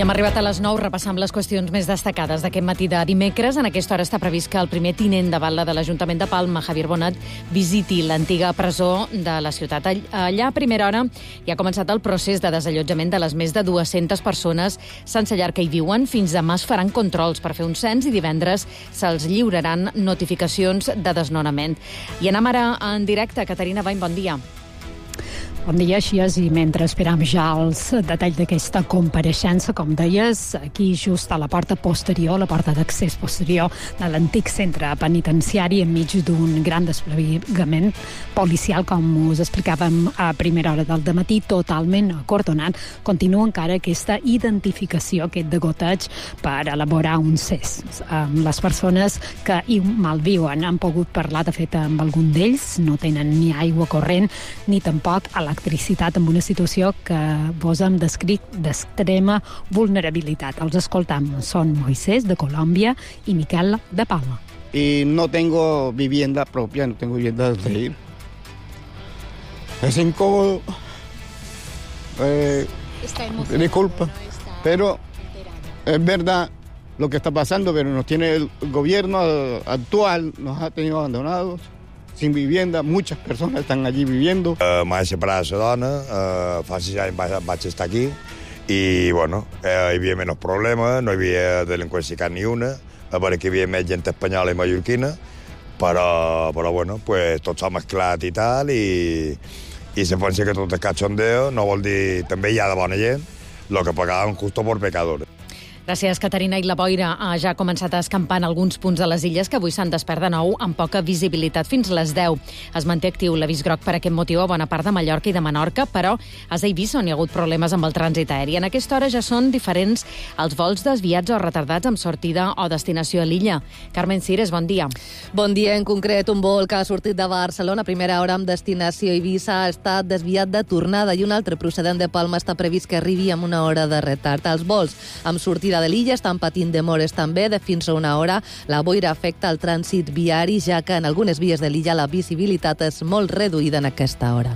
I hem arribat a les 9, repassant les qüestions més destacades d'aquest matí de dimecres. En aquesta hora està previst que el primer tinent de batlle de l'Ajuntament de Palma, Javier Bonat, visiti l'antiga presó de la ciutat. Allà, a primera hora, ja ha començat el procés de desallotjament de les més de 200 persones sense llar que hi viuen. Fins demà es faran controls per fer un cens i divendres se'ls lliuraran notificacions de desnonament. I anem ara en directe. Caterina Bain, bon dia. Bon dia, així és, i mentre esperam ja els detalls d'aquesta compareixença, com deies, aquí just a la porta posterior, la porta d'accés posterior de l'antic centre penitenciari, enmig d'un gran desplegament policial, com us explicàvem a primera hora del dematí, totalment acordonat. Continua encara aquesta identificació, aquest degoteig per elaborar un cens. Les persones que hi malviuen han pogut parlar, de fet, amb algun d'ells, no tenen ni aigua corrent, ni tampoc electricitat, en una situació que vos hem descrit d'extrema vulnerabilitat. Els escoltam. Són Moisés, de Colòmbia, i Miquel, de Palma. Y no tengo vivienda propia, no tengo vivienda de ir. Es incómodo. Disculpa, pero es verdad lo que está pasando, pero nos tiene el gobierno actual, nos ha tenido abandonados, sin vivienda, muchas personas están allí viviendo. M'he separat de la dona, fa 6 anys vaig estar aquí, i bueno, hi havia menys problemes, no hi havia delinqüència cap ni una, a veure que hi havia més gent espanyola i mallorquina, però bueno, pues, tot s'ha mesclat i tal, i se pensa que tot és cachondeo, no vol dir, també hi ha de bona gent, lo que pagaven justo por pecadores. Gràcies, Caterina. I la boira ja ha començat a escampar en alguns punts de les illes que avui s'han despert de nou amb poca visibilitat fins les 10. Es manté actiu l'avís groc per aquest motiu a bona part de Mallorca i de Menorca, però a Eivissa on hi ha hagut problemes amb el trànsit aeri. En aquesta hora ja són diferents els vols desviats o retardats amb sortida o destinació a l'illa. Carmen Cires, bon dia. Bon dia. En concret, un vol que ha sortit de Barcelona a primera hora amb destinació a Eivissa ha estat desviat de tornada i un altre procedent de Palma està previst que arribi amb una hora de retard. Els vols amb sortida de l'illa estan patint demores també de fins a una hora. La boira afecta el trànsit viari, ja que en algunes vies de l'illa la visibilitat és molt reduïda en aquesta hora.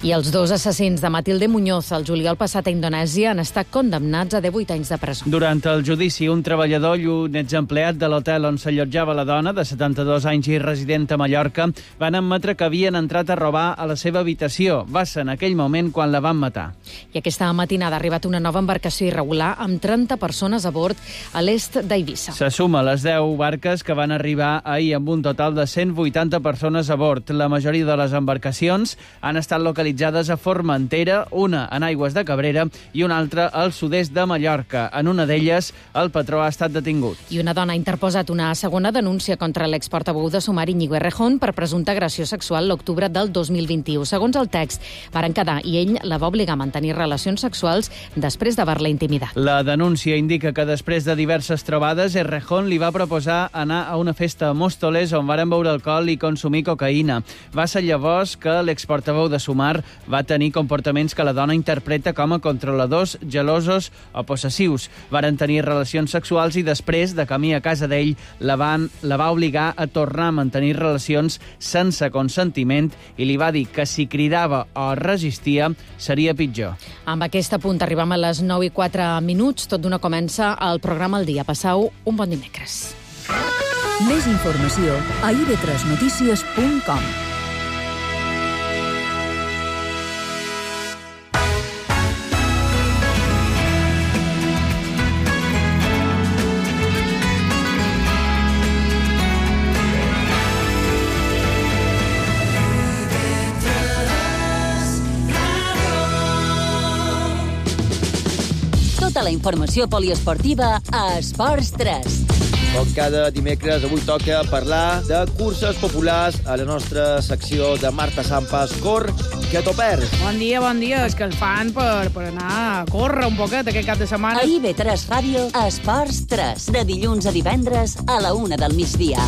I els 2 assassins de Matilde Muñoz el juliol passat a Indonèsia han estat condemnats a 18 anys de presó. Durant el judici, un treballador i un exempleat de l'hotel on s'allotjava la dona, de 72 anys i resident a Mallorca, van admetre que havien entrat a robar a la seva habitació. Va ser en aquell moment quan la van matar. I aquesta matinada ha arribat una nova embarcació irregular amb 30 persones a bord a l'est d'Eivissa. Se suma a les 10 barques que van arribar ahir amb un total de 180 persones a bord. La majoria de les embarcacions han estat localitzades a Formentera, una en aigües de Cabrera i una altra al sud-est de Mallorca. En una d'elles, el patró ha estat detingut. I una dona ha interposat una segona denúncia contra l'exportaveu de Sumar, Íñigo Errejón, per presumpta agressió sexual l'octubre del 2021. Segons el text, varen quedar i ell la va obligar a mantenir relacions sexuals després d'haver-la intimidat. La denúncia indica que després de diverses trobades, Errejón li va proposar anar a una festa a Móstoles on varen beure alcohol i consumir cocaïna. Va ser llavors que l'exportaveu de Sumar va tenir comportaments que la dona interpreta com a controladors, gelosos o possessius. Varen tenir relacions sexuals i després, de camí a casa d'ell, la va obligar a tornar a mantenir relacions sense consentiment i li va dir que si cridava o resistia seria pitjor. Amb aquest punt arribem a les 9:04. Tot d'una comença el programa El Dia. Passau un bon dimecres. Més informació a ib3notícies.com. Tota la informació poliesportiva a Esports 3. Com cada dimecres, avui toca parlar de curses populars a la nostra secció de Marta Sampas. Cor, que t'ho perds. Bon dia. És que el fan per anar a córrer un poquet aquest cap de setmana. A IB3 Ràdio, Esports 3. De dilluns a divendres a la 1 del migdia.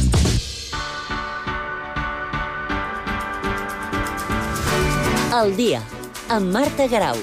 El dia, amb Marta Garau.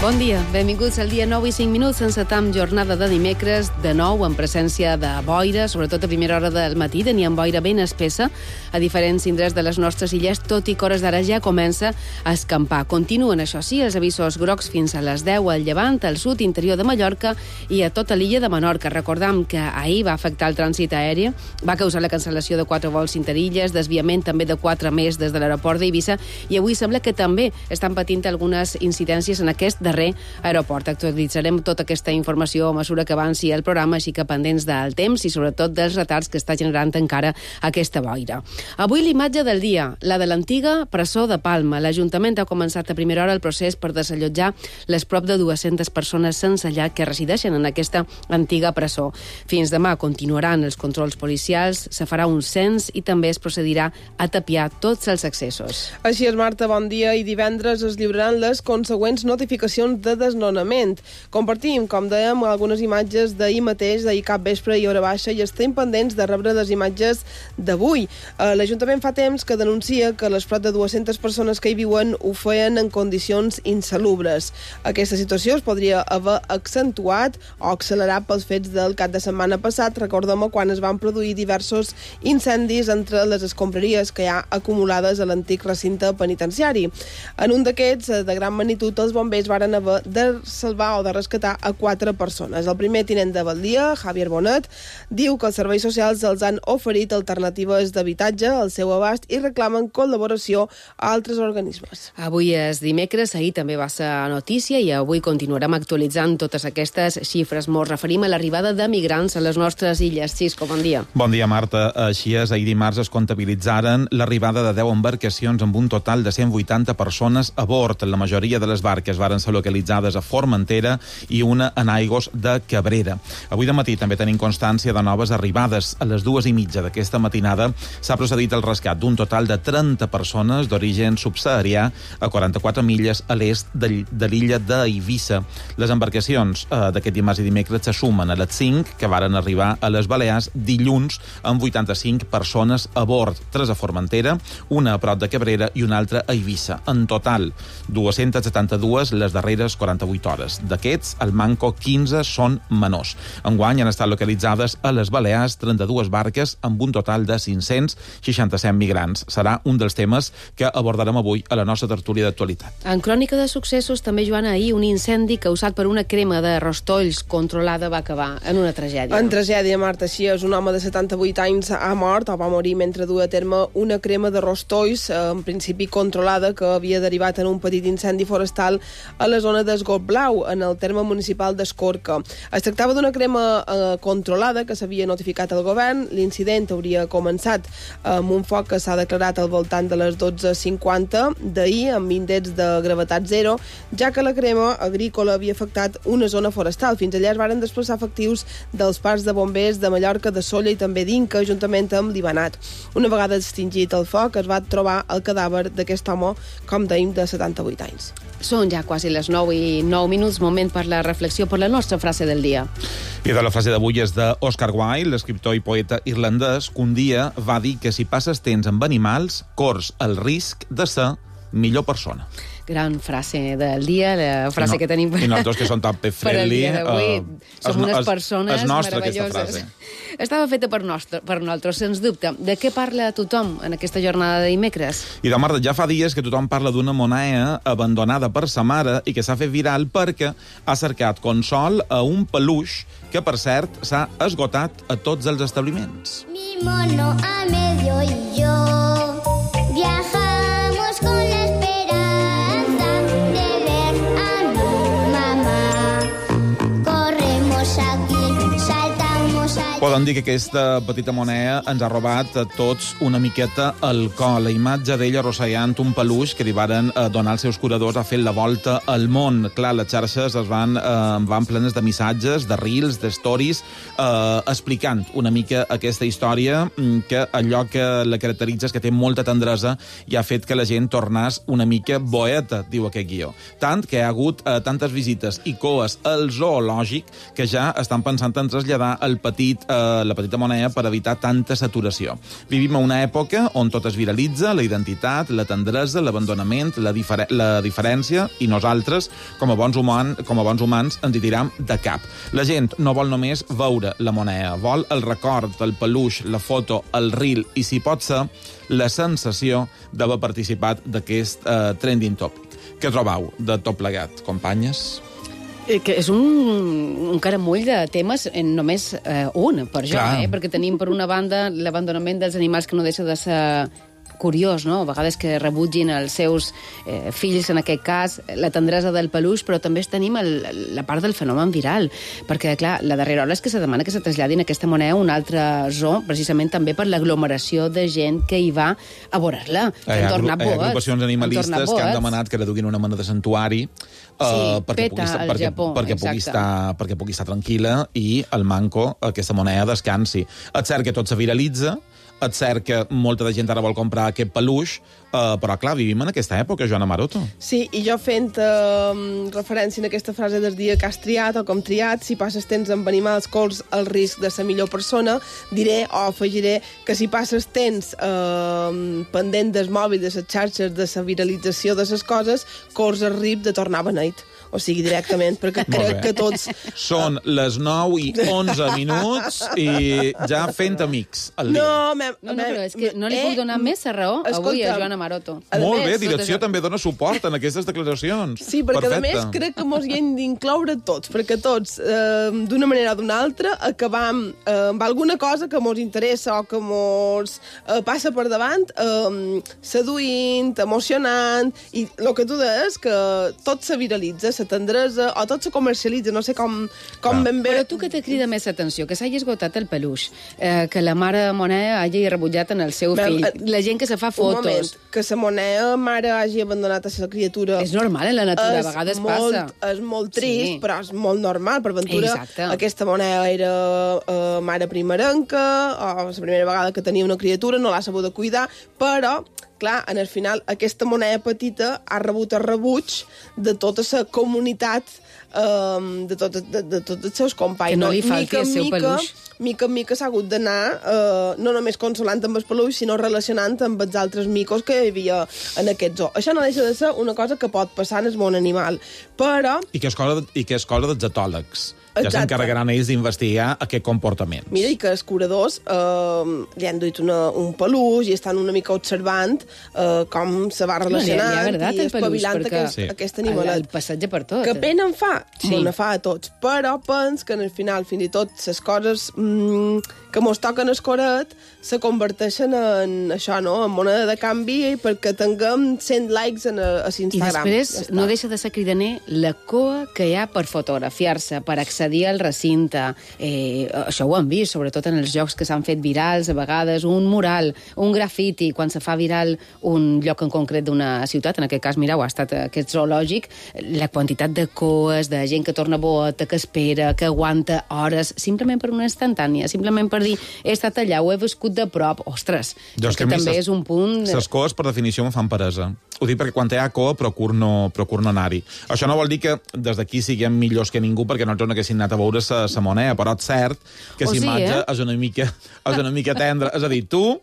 Bon dia, benvinguts al dia 9 i 5 minuts. Encetam jornada de dimecres, de nou en presència de boira, sobretot a primera hora del matí, teníem boira ben espessa a diferents indrets de les nostres illes, tot i que hores d'ara ja comença a escampar. Continuen, això sí, els avisos grocs fins a les 10 al Llevant, al sud, interior de Mallorca i a tota l'illa de Menorca. Recordam que ahir va afectar el trànsit aeri, va causar la cancel·lació de 4 vols interilles, desviament també de 4 més des de l'aeroport d'Eivissa, i avui sembla que també estan patint algunes incidències en aquest darrer aeroport. Actualitzarem tota aquesta informació a mesura que avanci el programa, així que pendents del temps i sobretot dels retards que està generant encara aquesta boira. Avui l'imatge del dia, la de l'antiga presó de Palma. L'Ajuntament ha començat a primera hora el procés per desallotjar les prop de 200 persones sense llar que resideixen en aquesta antiga presó. Fins demà continuaran els controls policials, se farà un cens i també es procedirà a tapiar tots els accessos. Així és, Marta, bon dia. I divendres es lliuraran les consegüents notificacions de desnonament. Compartim, com dèiem, algunes imatges d'ahir mateix, d'ahir cap vespre i hora baixa, i estem pendents de rebre les imatges d'avui. L'Ajuntament fa temps que denuncia que les prop de 200 persones que hi viuen ho feien en condicions insalubres. Aquesta situació es podria haver accentuat o accelerat pels fets del cap de setmana passat. Recordem quan es van produir diversos incendis entre les escombraries que hi ha acumulades a l'antic recinte penitenciari. En un d'aquests, de gran magnitud, els bombers varen haver de salvar o de rescatar a 4 persones. El primer tinent de Badia, Javier Bonet, diu que els serveis socials els han oferit alternatives d'habitatge al seu abast i reclamen col·laboració a altres organismes. Avui és dimecres, ahir també va ser notícia i avui continuarem actualitzant totes aquestes xifres. Ens referim a l'arribada de migrants a les nostres illes. Xisco, bon dia. Bon dia, Marta. Així és, ahir dimarts es comptabilitzaren l'arribada de 10 embarcacions amb un total de 180 persones a bord. La majoria de les barques varen ser localitzades a Formentera i una en aigües de Cabrera. Avui de matí també tenim constància de noves arribades. A les 2:30 d'aquesta matinada s'ha procedit al rescat d'un total de 30 persones d'origen subsaharià a 44 milles a l'est de l'illa d'Eivissa. Les embarcacions d'aquest dimarts i dimecres se sumen a les 5 que varen arribar a les Balears dilluns amb 85 persones a bord, 3 a Formentera, una a prop de Cabrera i una altra a Eivissa. En total, 272 les darreres 48 hores. D'aquests, al manco 15 són menors. Enguany han estat localitzades a les Balears 32 barques amb un total de 567 migrants. Serà un dels temes que abordarem avui a la nostra tertúlia d'actualitat. En crònica de successos, també, Joana, ahir un incendi causat per una crema de rostolls controlada va acabar en una tragèdia. En tragèdia, Marta, així és. Un home de 78 anys ha mort o va morir mentre duia a terme una crema de rostolls, en principi controlada, que havia derivat en un petit incendi forestal a la zona d'Esgot Blau, en el terme municipal d'Escorca. Es tractava d'una crema controlada que s'havia notificat al govern. L'incident hauria començat amb un foc que s'ha declarat al voltant de les 12:50 d'ahir, amb índexs de gravetat zero, ja que la crema agrícola havia afectat una zona forestal. Fins allà es varen desplaçar efectius dels parcs de bombers de Mallorca, de Sóller i també d'Inca, juntament amb l'Ibanat. Una vegada extingit el foc, es va trobar el cadàver d'aquest home, com dèiem, de 78 anys. Són ja quasi les 9 i 9 minuts, moment per la reflexió, per la nostra frase del dia. I de la frase d'avui és d'Oscar Wilde, l'escriptor i poeta irlandès, que un dia va dir que si passes temps amb animals, corrs el risc de ser millor persona. Gran frase del dia, la frase que tenim I nosaltres, que som tan pet-friendly... Per al dia d'avui, som unes persones meravelloses. Estava feta per nosaltres, sens dubte. De què parla tothom en aquesta jornada de dimecres? I de Marta, ja fa dies que tothom parla d'una moneda abandonada per sa mare i que s'ha fet viral perquè ha cercat consol a un peluix que, per cert, s'ha esgotat a tots els establiments. Mi mono a medio y yo viajamos con la esperanza de ver a mi mamá. Corremos aquí, saltamos allá. Poden dir que aquesta petita moneda ens ha robat a tots una miqueta el cor. La imatge d'ella arrossegant un peluix que li varen donar als seus curadors ha fet la volta al món. Clar, les xarxes es van plenes de missatges, de reels, de stories, explicant una mica aquesta història, que allò que la caracteritza és que té molta tendresa i ha fet que la gent tornés una mica boeta, diu aquest guió. Tant que hi ha hagut tantes visites i coes al zoològic que ja estan pensant en traslladar el petit la petita moneda per evitar tanta saturació. Vivim en una època on tot es viralitza, la identitat, la tendresa, l'abandonament, la diferència, i nosaltres, com a bons humans, ens hi tiram de cap. La gent no vol només veure la moneda, vol el record, el peluix, la foto, el reel i, si pot ser, la sensació d'haver participat d'aquest trending topic. Què trobeu de tot plegat, companyes? Que és un caramull de temes, només un, per jo, perquè tenim, per una banda, l'abandonament dels animals, que no deixa de ser curiós, no? A vegades que rebutgin els seus fills, en aquest cas, la tendresa del peluix, però també tenim la part del fenomen viral, perquè, clar, la darrera hora és que se demana que se traslladin aquesta moneda a un altre zoo, precisament també per l'aglomeració de gent que hi va a veure-la. Hi ha agrupacions animalistes que han demanat que reduïn una mena de santuari perquè pugui estar tranquil·la i el manco, aquesta moneda, descansi. És cert que tot se viralitza, és cert que molta de gent ara vol comprar aquest peluix, però, clar, vivim en aquesta època, Joana Maroto. Sí, i jo fent referència a aquesta frase del dia que has triat o com triat, si passes temps amb animals corres el risc de ser millor persona, diré o afegiré que si passes temps pendent del mòbil, de les xarxes, de la viralització de les coses, corres el risc de tornar beneit. O sigui, directament, perquè crec que tots... Són les 9:11 i ja fent amics al dia. No, però és que no li puc donar més raó avui a Joana Maroto. Molt bé, direcció també dona suport en aquestes declaracions. Sí, perquè a més crec que mos hi hem d'incloure tots, perquè tots, d'una manera o d'una altra, acabam amb alguna cosa que mos interessa o que mos passa per davant, seduint, emocionant, i el que tu deies, que tot se viralitza, la tendresa, o tot se comercialitza, no sé com ben bé... Però tu que te crida més atenció, que s'hagi esgotat el peluix, que la mare moneda hagi rebutjat en el seu fill, la gent que se fa fotos... Un moment, que la moneda mare hagi abandonat a la criatura... És normal en la natura, a vegades passa. És molt trist, però és molt normal. Per ventura, aquesta moneda era mare primerenca, o la primera vegada que tenia una criatura, no l'ha sabut cuidar, però... Clar, en el final, aquesta moneda petita ha rebut el rebuig de tota la comunitat, de tots els seus companys. Que no li falti el seu peluix. Mica en mica s'ha hagut d'anar, no només consolant amb el peluix, sinó relacionant amb els altres micos que hi havia en aquest zoo. Això no deixa de ser una cosa que pot passar en el món animal, però... I que és cosa dels etòlegs. Ja s'encarregaran ells d'investigar aquest comportament. Mira, i que els curadors li han duit un peluix i estan una mica observant com se va relacionant i espavilant aquest animalet. El passatge per tot. Que pena en fa, me ne fa a tots, però pens que al final, fins i tot, les coses que mos toquen el coret se converteixen en això, no?, en moneda de canvi perquè tinguem 100 likes a Instagram. I després no deixa de ser cridaner la coa que hi ha per fotografiar-se, per accedir al recinte. Això ho hem vist, sobretot en els jocs que s'han fet virals, a vegades un mural, un grafiti, quan se fa viral un lloc en concret d'una ciutat, en aquest cas, mireu, ha estat aquest zoològic, la quantitat de coes, de gent que torna boata, que espera, que aguanta hores, simplement per una instantània, simplement per dir, he estat allà, ho he viscut de prop. Ostres, que també és un punt... Les coes, per definició, me fan peresa. Ho dic perquè quan hi ha coa procur no anar-hi. Això no vol dir que des d'aquí siguem millors que ningú perquè nosaltres no haguéssim anat a veure la moneda, però és cert que la imatge és una mica tendra. És a dir, tu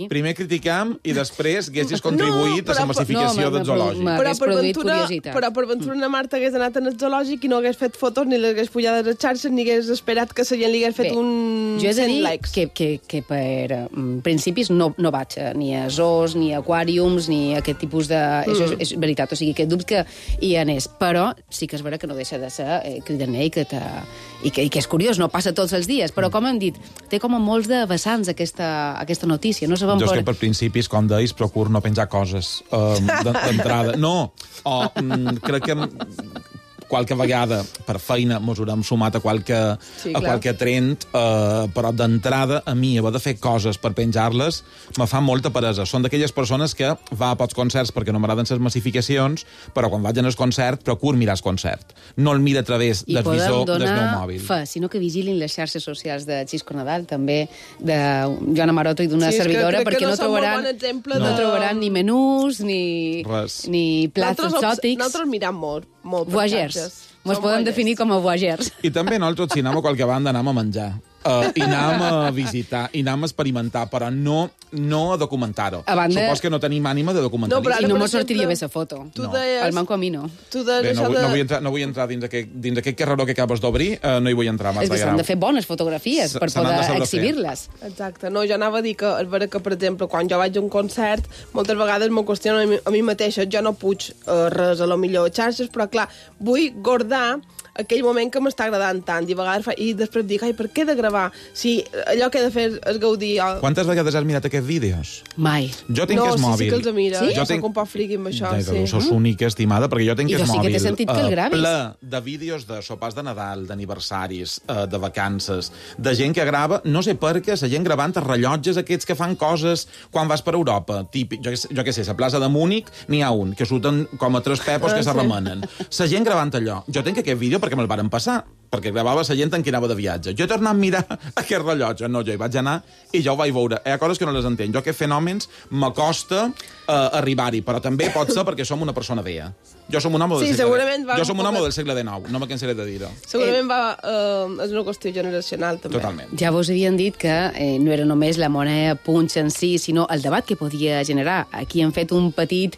primer criticam i després haguessis contribuït a la massificació del zoològic. Però per ventura una Marta hagués anat en el zoològic i no hagués fet fotos ni l'hagués pujat a les xarxes ni hagués esperat que la gent li hagués fet un 100 likes. Que per principis no vaig ni a zoos, ni a aquàriums, ni a aquest tipus de... Això és veritat, o sigui, que dubte que hi anés. Però sí que és vera que no deixa de ser cridaner i que és curiós, no passa tots els dies, però com hem dit, té com a molts de vessants aquesta notícia. No sabem jo és que per principis, com deies, procuro no penjar coses d'entrada. No, crec que qualque vegada per feina mos haurem sumat a qualque trend, però d'entrada a mi haver de fer coses per penjar-les me fa molta peresa. Són d'aquelles persones que va a pocs concerts perquè no m'agraden les massificacions, però quan vaig al concert procuro mirar el concert. No el mira a través del visor del meu mòbil. I podem donar sinó que vigilin les xarxes socials de Xisco Nadal, també de Joana Maroto i d'una servidora, perquè no trobaran ni menús, ni plats exòtics. Nosaltres mirem molt. Voyagers. Mos podem definir com a voyeurs. I també nosaltres, si anem a qualque banda, anem a menjar. I anem a visitar, i anem a experimentar, però no a documentar-ho. Supos que no tenim ànima de documentalista. I no mos sortiria bé la foto. El manco a mi no. Bé, no vull entrar dins aquest carreró que acabes d'obrir, no hi vull entrar. És que s'han de fer bones fotografies per poder exhibir-les. Exacte. No, jo anava a dir que, és vera que, per exemple, quan jo vaig a un concert, moltes vegades m'ho qüestiono a mi mateixa. Jo no puig res a lo millor xarxes, però, clar, vull guardar aquell moment que m'està agradant tant, i després dic, per què he de gravar? Si allò que he de fer és gaudir... Quantes vegades has mirat aquests vídeos? Mai. Jo tinc que és mòbil. Sí que els mira. Sí? Jo soc un poc friqui amb això, sí. Sos única, estimada, perquè jo tinc que és mòbil. I jo sí que t'he sentit que el gravis. Ple de vídeos de sopars de Nadal, d'aniversaris, de vacances, de gent que grava, no sé per què, la gent gravant els rellotges aquests que fan coses quan vas per Europa. Típic, jo què sé, a plaça de Múnich n'hi ha un, que surten com a 3 pepos que se remenen. La gent gravant allò. Jo tinc aquest vídeo perquè me'l varen passar, perquè gravava la gent en qui anava de viatge. Jo he tornat a mirar aquest rellotge. No, jo hi vaig anar i ja ho vaig veure. Hi ha coses que no les entenc. Jo aquests fenòmens m'acosta arribar-hi, però també pot ser perquè som una persona vella. Jo som un home del segle XIX, no me cansaré de dir-ho. Segurament és una qüestió generacional, també. Totalment. Ja vos havien dit que no era només la moneda punx en si, sinó el debat que podia generar. Aquí hem fet un petit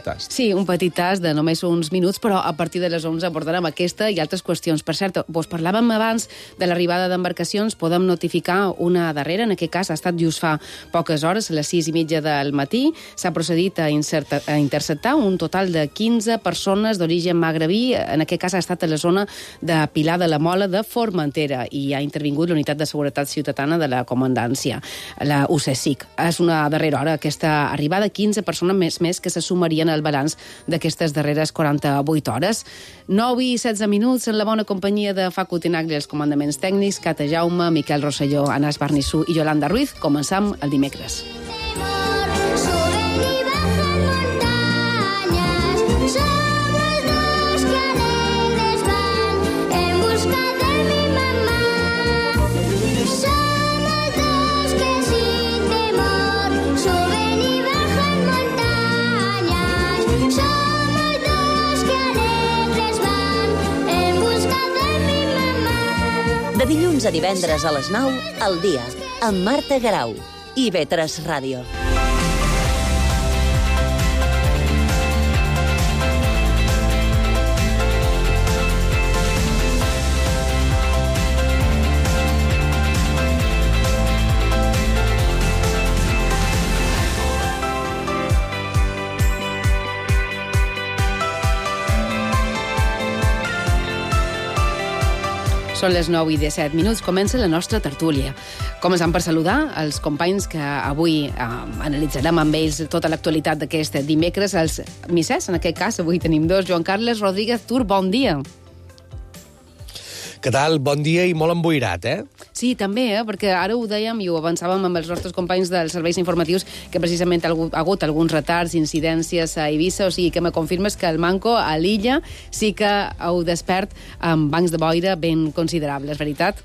tast. Sí, un petit tast de només uns minuts, però a partir de les 11 abordarem aquesta i altres qüestions. Per cert, vos parlàvem abans de l'arribada d'embarcacions, podem notificar una darrera, en aquest cas ha estat just fa poques hores, a les 6:30 del matí, s'ha procedit a interceptar un total de 15 persones d'origen magrebí, en aquest cas ha estat a la zona de Pilar de la Mola de Formentera, i ha intervingut l'Unitat de Seguretat Ciutadana de la Comandància, la UCSIC. És una darrera hora aquesta arribada, 15 persones més que se sumarien al balanç d'aquestes darreres 48 hores. 9 i 16 minuts en la bona companyia de Facu Tinagli, els comandaments tècnics, Cata Jaume, Miquel Rosselló, Anas Barnissú i Yolanda Ruiz. Començam el dimecres. De dilluns a divendres a les 9, al dia, amb Marta Garau i IB3 Ràdio. Són les 9 i 17 minuts, comença la nostra tertúlia. Començant per saludar els companys que avui analitzarem amb ells tota l'actualitat d'aquest dimecres, els missers, en aquest cas avui tenim dos. Joan Carles Rodríguez Tur, bon dia. Què tal? Bon dia i molt emboirat, Sí, també, perquè ara ho dèiem i ho avançàvem amb els nostres companys dels serveis informatius, que precisament ha hagut alguns retards, incidències a Eivissa, o sigui que me confirmes que el Manco a l'illa sí que heu despert amb bancs de boira ben considerables, veritat?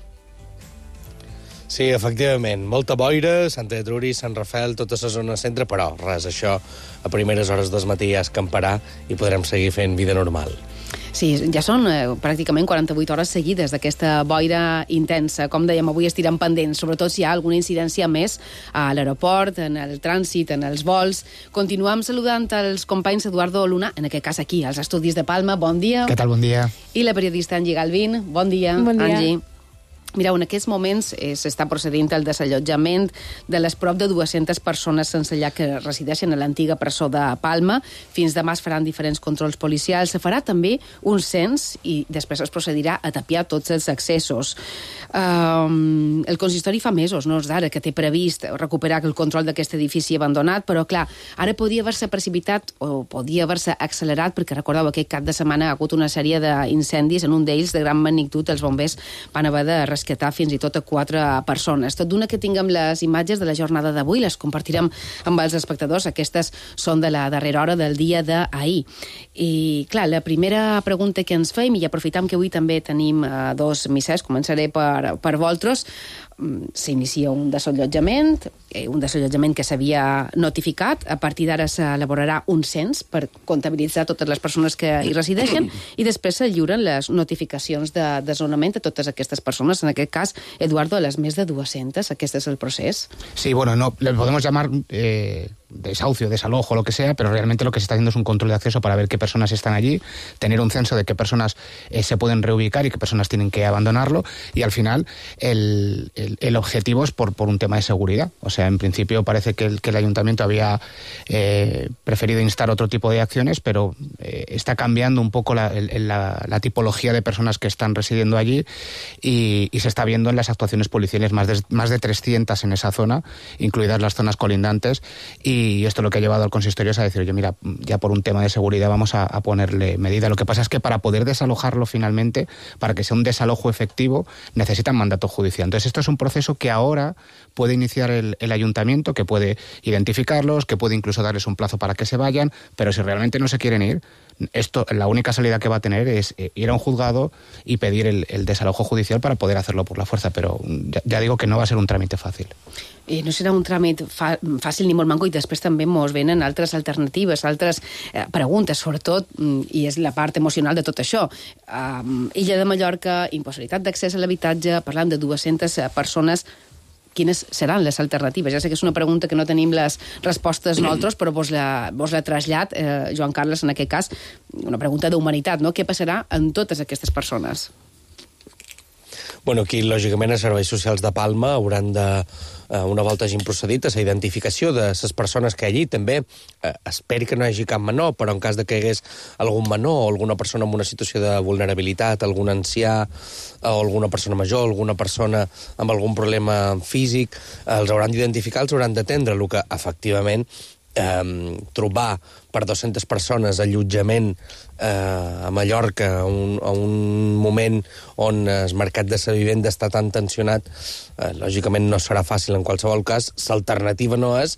Sí, efectivament. Molta boira, Sant Truri, Sant Rafel, tota la zona centre, però res, això a primeres hores del matí ja escamparà i podrem seguir fent vida normal. Sí, ja són pràcticament 48 hores seguides d'aquesta boira intensa. Com dèiem, avui estirem pendents, sobretot si hi ha alguna incidència més a l'aeroport, en el trànsit, en els vols. Continuem saludant els companys Eduardo Luna, en aquest cas aquí, als estudis de Palma. Bon dia. Què tal? Bon dia. I la periodista Angie Galvin. Bon dia, bon dia. Angie. Mireu, en aquests moments s'està procedint al desallotjament de les prop de 200 persones sense llar que resideixen a l'antiga presó de Palma. Fins demà es faran diferents controls policials. Se farà també un cens i després es procedirà a tapiar tots els accessos. El consistori fa mesos, no és d'ara, que té previst recuperar el control d'aquest edifici abandonat, però clar, ara podia haver-se precipitat o podia haver-se accelerat, perquè recordeu, aquest cap de setmana ha hagut una sèrie d'incendis, en un d'ells de gran magnitud, els bombers van haver de rescatar fins i tot a 4 persones. Tot d'una que tinguem les imatges de la jornada d'avui, les compartirem amb els espectadors. Aquestes són de la darrera hora del dia d'ahir. I, clar, la primera pregunta que ens fem, i aprofitam que avui també tenim dos missers, començaré per vosaltres, s'inicia un desallotjament que s'havia notificat. A partir d'ara s'elaborarà un cens per comptabilitzar totes les persones que hi resideixen i després se lliuren les notificacions de desnonament a totes aquestes persones. En aquest cas, Eduardo, a les més de 200. Aquest és el procés. Sí, bueno, no, le podemos llamar desahucio, desalojo, lo que sea, pero realmente lo que se está haciendo es un control de acceso para ver qué personas están allí, tener un censo de qué personas se pueden reubicar y qué personas tienen que abandonarlo, y al final el objetivo es por un tema de seguridad. O sea, en principio parece que el ayuntamiento había preferido instar otro tipo de acciones, pero está cambiando un poco la tipología de personas que están residiendo allí y se está viendo en las actuaciones policiales más de 300 en esa zona, incluidas las zonas colindantes, y esto lo que ha llevado al consistorio es a decir, oye, mira, ya por un tema de seguridad vamos a ponerle medida. Lo que pasa es que para poder desalojarlo finalmente, para que sea un desalojo efectivo, necesitan mandato judicial. Entonces esto es un proceso que ahora puede iniciar el ayuntamiento, que puede identificarlos, que puede incluso darles un plazo para que se vayan, pero si realmente no se quieren ir, la única salida que va a tener es ir a un juzgado y pedir el desalojo judicial para poder hacerlo por la fuerza, pero ya digo que no va a ser un trámite fàcil. I no serà un tràmit fàcil ni molt manco, i després també ens venen altres alternatives, altres preguntes, sobretot, i és la part emocional de tot això. Illa de Mallorca, impossibilitat d'accés a l'habitatge, parlant de 200 persones. Quines seran les alternatives? Ja sé que és una pregunta que no tenim les respostes nosaltres, però vos la trasllat, Joan Carles, en aquest cas, una pregunta d'humanitat, no? Què passarà amb totes aquestes persones? Bueno, aquí, lògicament, els serveis socials de Palma hauran de, una volta hagin procedit a la identificació de les persones que allí també, esperi que no hi hagi cap menor, però en cas de que hi hagués algun menor o alguna persona en una situació de vulnerabilitat, algun ancià o alguna persona major, alguna persona amb algun problema físic, els hauran d'identificar, els hauran d'atendre, el que efectivament trobar per 200 persones allotjament a Mallorca a un moment on el mercat de la vivenda està tan tensionat, lògicament no serà fàcil en qualsevol cas. L'alternativa no és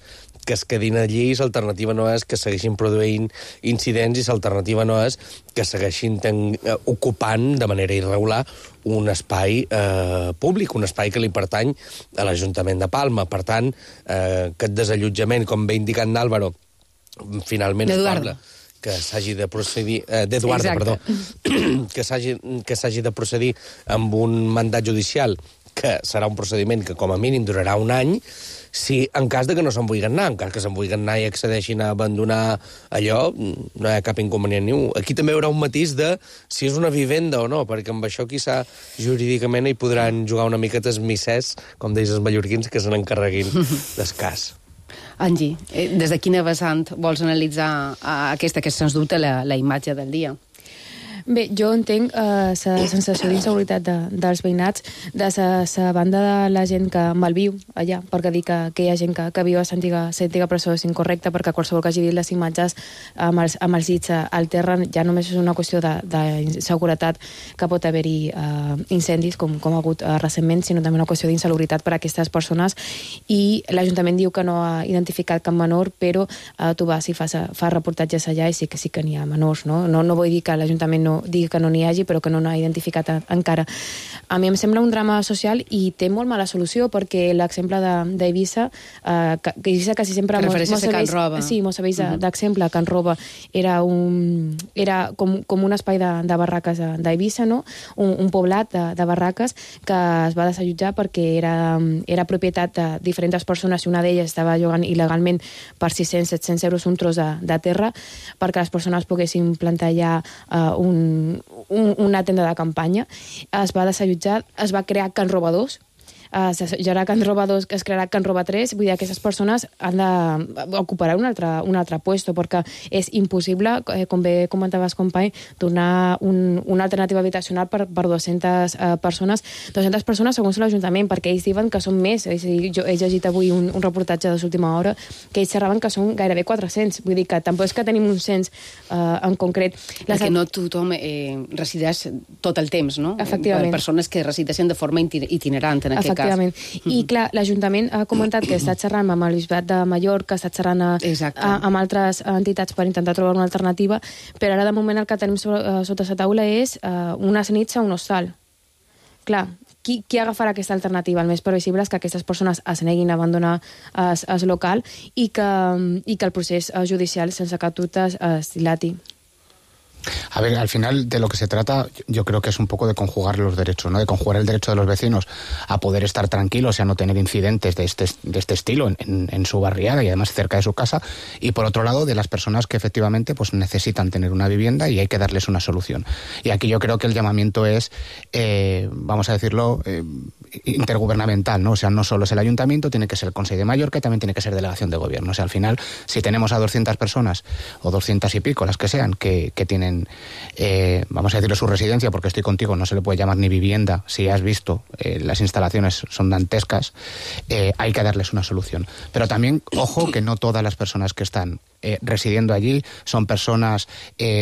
que es quedin allí, l'alternativa no és que segueixin produint incidents i l'alternativa no és que segueixin ocupant de manera irregular un espai públic, un espai que li pertany a l'Ajuntament de Palma. Per tant, aquest desallotjament, com bé indicat n'Àlvaro, finalment es parla que s'hagi de procedir... d'Eduardo, perdó. Que s'hagi de procedir amb un mandat judicial, que serà un procediment que com a mínim durarà un any, si en cas de que no se'n vulguin anar, en cas que se'n vulguin anar i accedeixin a abandonar allò, no hi ha cap inconvenient ni un. Aquí també hi haurà un matís de si és una vivenda o no, perquè amb això quizà jurídicament hi podran jugar una miqueta els missers, com deis els mallorquins, que se n'encarreguin d'escàs. Angie, des de quina vessant vols analitzar aquesta, que sens dubte la imatge del dia? Bé, jo entenc la sensació d'inseguretat dels veïnats de la banda de la gent que malviu allà, perquè dir que hi ha gent que viu a l'antiga presó és incorrecte, perquè qualsevol que hagi vist les imatges amb els llits al terra ja només és una qüestió d'inseguretat, que pot haver-hi incendis, com ha hagut recentment, sinó també una qüestió d'insalubritat per a aquestes persones. I l'Ajuntament diu que no ha identificat cap menor, però tu vas i fa reportatges allà i sí que n'hi ha menors, no? No vull dir que l'Ajuntament no digui que no n'hi hagi, però que no n'ha identificat encara. A mi em sembla un drama social i té molt mala solució, perquè l'exemple d'Eivissa, que Eivissa quasi sempre... Refereixes a Can Roba. Sí, mos serveix d'exemple. Can Roba era com un espai de barraques d'Eivissa, no? Un poblat de barraques que es va desallotjar perquè era propietat de diferents persones i una d'elles estava llogant il·legalment per 600-700 euros un tros de terra perquè les persones poguessin plantar allà una tenda de campanya. Es va desallotjar, es va crear Can Roba 2, hi haurà Can Roba 2, que es crearà Can Roba 3, vull dir, aquestes persones han d'ocupar un altre puesto, perquè és impossible, com bé comentaves, company, donar una alternativa habitacional per 200 persones, 200 persones segons l'Ajuntament, perquè ells diuen que són més. Jo he llegit avui un reportatge de l'última hora que ells xerraven que són gairebé 400, vull dir que tampoc és que tenim un cens en concret. Perquè no tothom resideix tot el temps, no? Efectivament. Persones que resideixen de forma itinerant, en aquest cas. I clar, l'Ajuntament ha comentat que està xerrant amb el Bisbat de Mallorca, està xerrant amb altres entitats per intentar trobar una alternativa, però ara de moment el que tenim sota la taula és unes nits a un hostal. Clar, qui agafarà aquesta alternativa? El més previsible és que aquestes persones es neguin a abandonar el local i que el procés judicial sense cap dubte es dilati. A ver, al final de lo que se trata, yo creo que es un poco de conjugar los derechos, ¿no? De conjugar el derecho de los vecinos a poder estar tranquilos y a no tener incidentes de este estilo en su barriada y además cerca de su casa, y por otro lado de las personas que efectivamente pues necesitan tener una vivienda y hay que darles una solución. Y aquí yo creo que el llamamiento es, vamos a decirlo, intergubernamental, ¿no? O sea, no solo es el ayuntamiento, tiene que ser el Consell de Mallorca y también tiene que ser delegación de gobierno. O sea, al final, si tenemos a 200 personas o 200 y pico, las que sean, que tienen vamos a decirlo, su residencia, porque estoy contigo, no se le puede llamar ni vivienda, si has visto, las instalaciones son dantescas, hay que darles una solución. Pero también, ojo, que no todas las personas que están residiendo allí son personas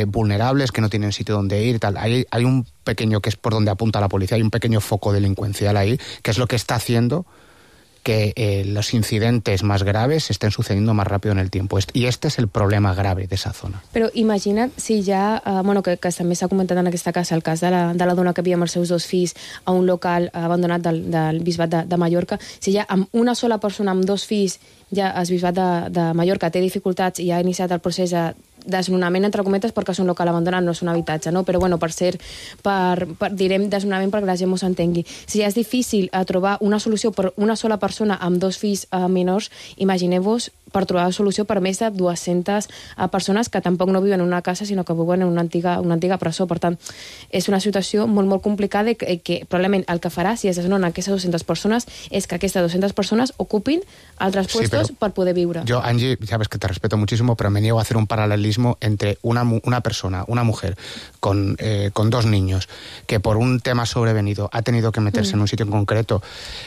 vulnerables, que no tienen sitio donde ir y tal. Hay un pequeño, que es por donde apunta la policía, hay un pequeño foco delincuencial ahí, que es lo que está haciendo que los incidentes más graves estén sucediendo más rápido en el tiempo. Y este es el problema grave de esa zona. Però imagina't si ja, que també s'ha comentat en aquesta casa, el cas de la dona que havia amb els seus 2 fills a un local abandonat del Bisbat de Mallorca, si ja amb una sola persona, amb 2 fills, ja el Bisbat de Mallorca té dificultats i ha iniciat el procés de desnonament, entre cometes, perquè és un local abandonat, no és un habitatge, no? Però bueno, direm desnonament perquè la gent m'ho s'entengui. Si ja és difícil trobar una solució per una sola persona amb 2 fills menors, imagineu-vos per trobar solució per més de 200 persones que tampoc no viuen en una casa, sinó que viuen en una antiga presó. Per tant, és una situació molt, molt complicada i que probablement el que farà, si es desnonen aquestes 200 persones, és que aquestes 200 persones ocupin altres puestos per poder viure. Yo, Angie, sabes que te respeto muchísimo, pero me niego a hacer un paralelismo entre una persona, una mujer con 2 niños, que por un tema sobrevenido ha tenido que meterse en un sitio en concreto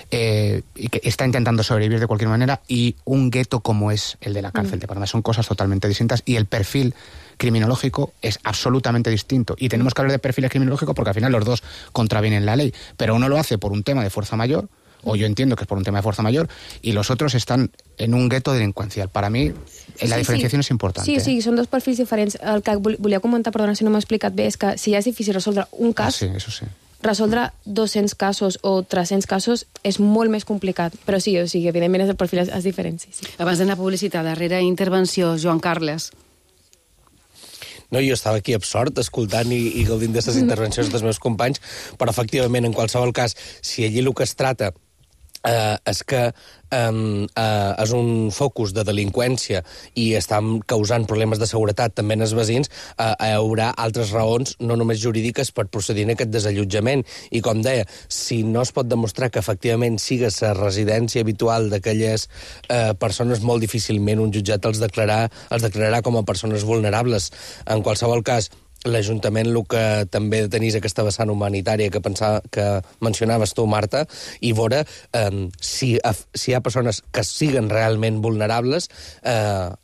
y que está intentando sobrevivir de cualquier manera, y un gueto como es el de la cárcel de Palma. Son cosas totalmente distintas y el perfil criminológico es absolutamente distinto. Y tenemos que hablar de perfiles criminológicos porque al final los dos contravienen la ley, pero uno lo hace por un tema de fuerza mayor, o yo entiendo que es por un tema de fuerza mayor, y los otros están en un gueto delincuencial. Para mí, la diferenciación és important. Sí, són 2 perfils diferents. El que volia comentar, perdona si no m'he explicat bé, és que si ja és difícil resoldre un cas, eso sí. Resoldre 200 casos o 300 casos és molt més complicat. Però sí, evidentment el perfil és diferent. Sí. Abans d'anar a publicitat, darrera intervenció, Joan Carles. No, jo estava aquí absort, escoltant i gaudint d'aquestes intervencions dels meus companys, però efectivament, en qualsevol cas, si allí el que es trata és que és un focus de delinqüència i estan causant problemes de seguretat també en els veïns, hi haurà altres raons, no només jurídiques, per procedir en aquest desallotjament. I com deia, si no es pot demostrar que efectivament siga la residència habitual d'aquelles persones, molt difícilment un jutjat els declararà com a persones vulnerables. En qualsevol cas, l'Ajuntament el que també tenís aquesta vessant humanitària que mencionaves tu, Marta, i veure si hi ha persones que siguen realment vulnerables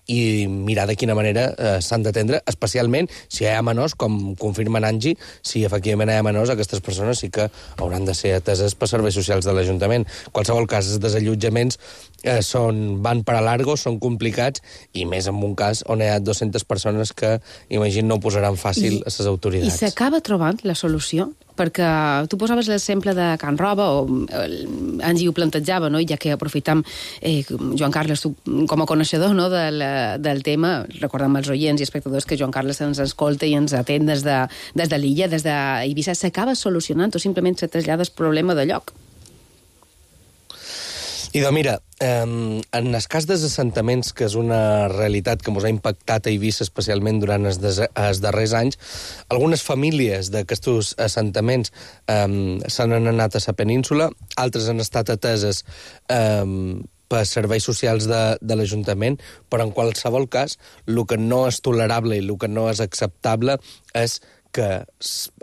i mirar de quina manera s'han d'atendre, especialment si hi ha menors, com confirma Angie, si efectivament hi ha menors, aquestes persones sí que hauran de ser ateses per serveis socials de l'Ajuntament. En qualsevol cas, els desallotjaments van per a largo, són complicats, i més en un cas on hi ha 200 persones que, imagino, no ho posaran fàcil a les autoritats. I s'acaba trobant la solució? Perquè tu posaves l'exemple de Can Roba, o Angie ho plantejava, no? I ja que aprofitam, Joan Carles, tu com a coneixedor, no, del tema, recordem als oients i espectadors que Joan Carles ens escolta i ens atén des de l'illa, des d'Eivissa, s'acaba solucionant o simplement se trasllada el problema de lloc? Idò, mira, en el cas dels assentaments, que és una realitat que ens ha impactat a Eivissa especialment durant els darrers anys, algunes famílies d'aquests assentaments se n'han anat a la península, altres han estat ateses per serveis socials de l'Ajuntament, però en qualsevol cas, el que no és tolerable i el que no és acceptable és que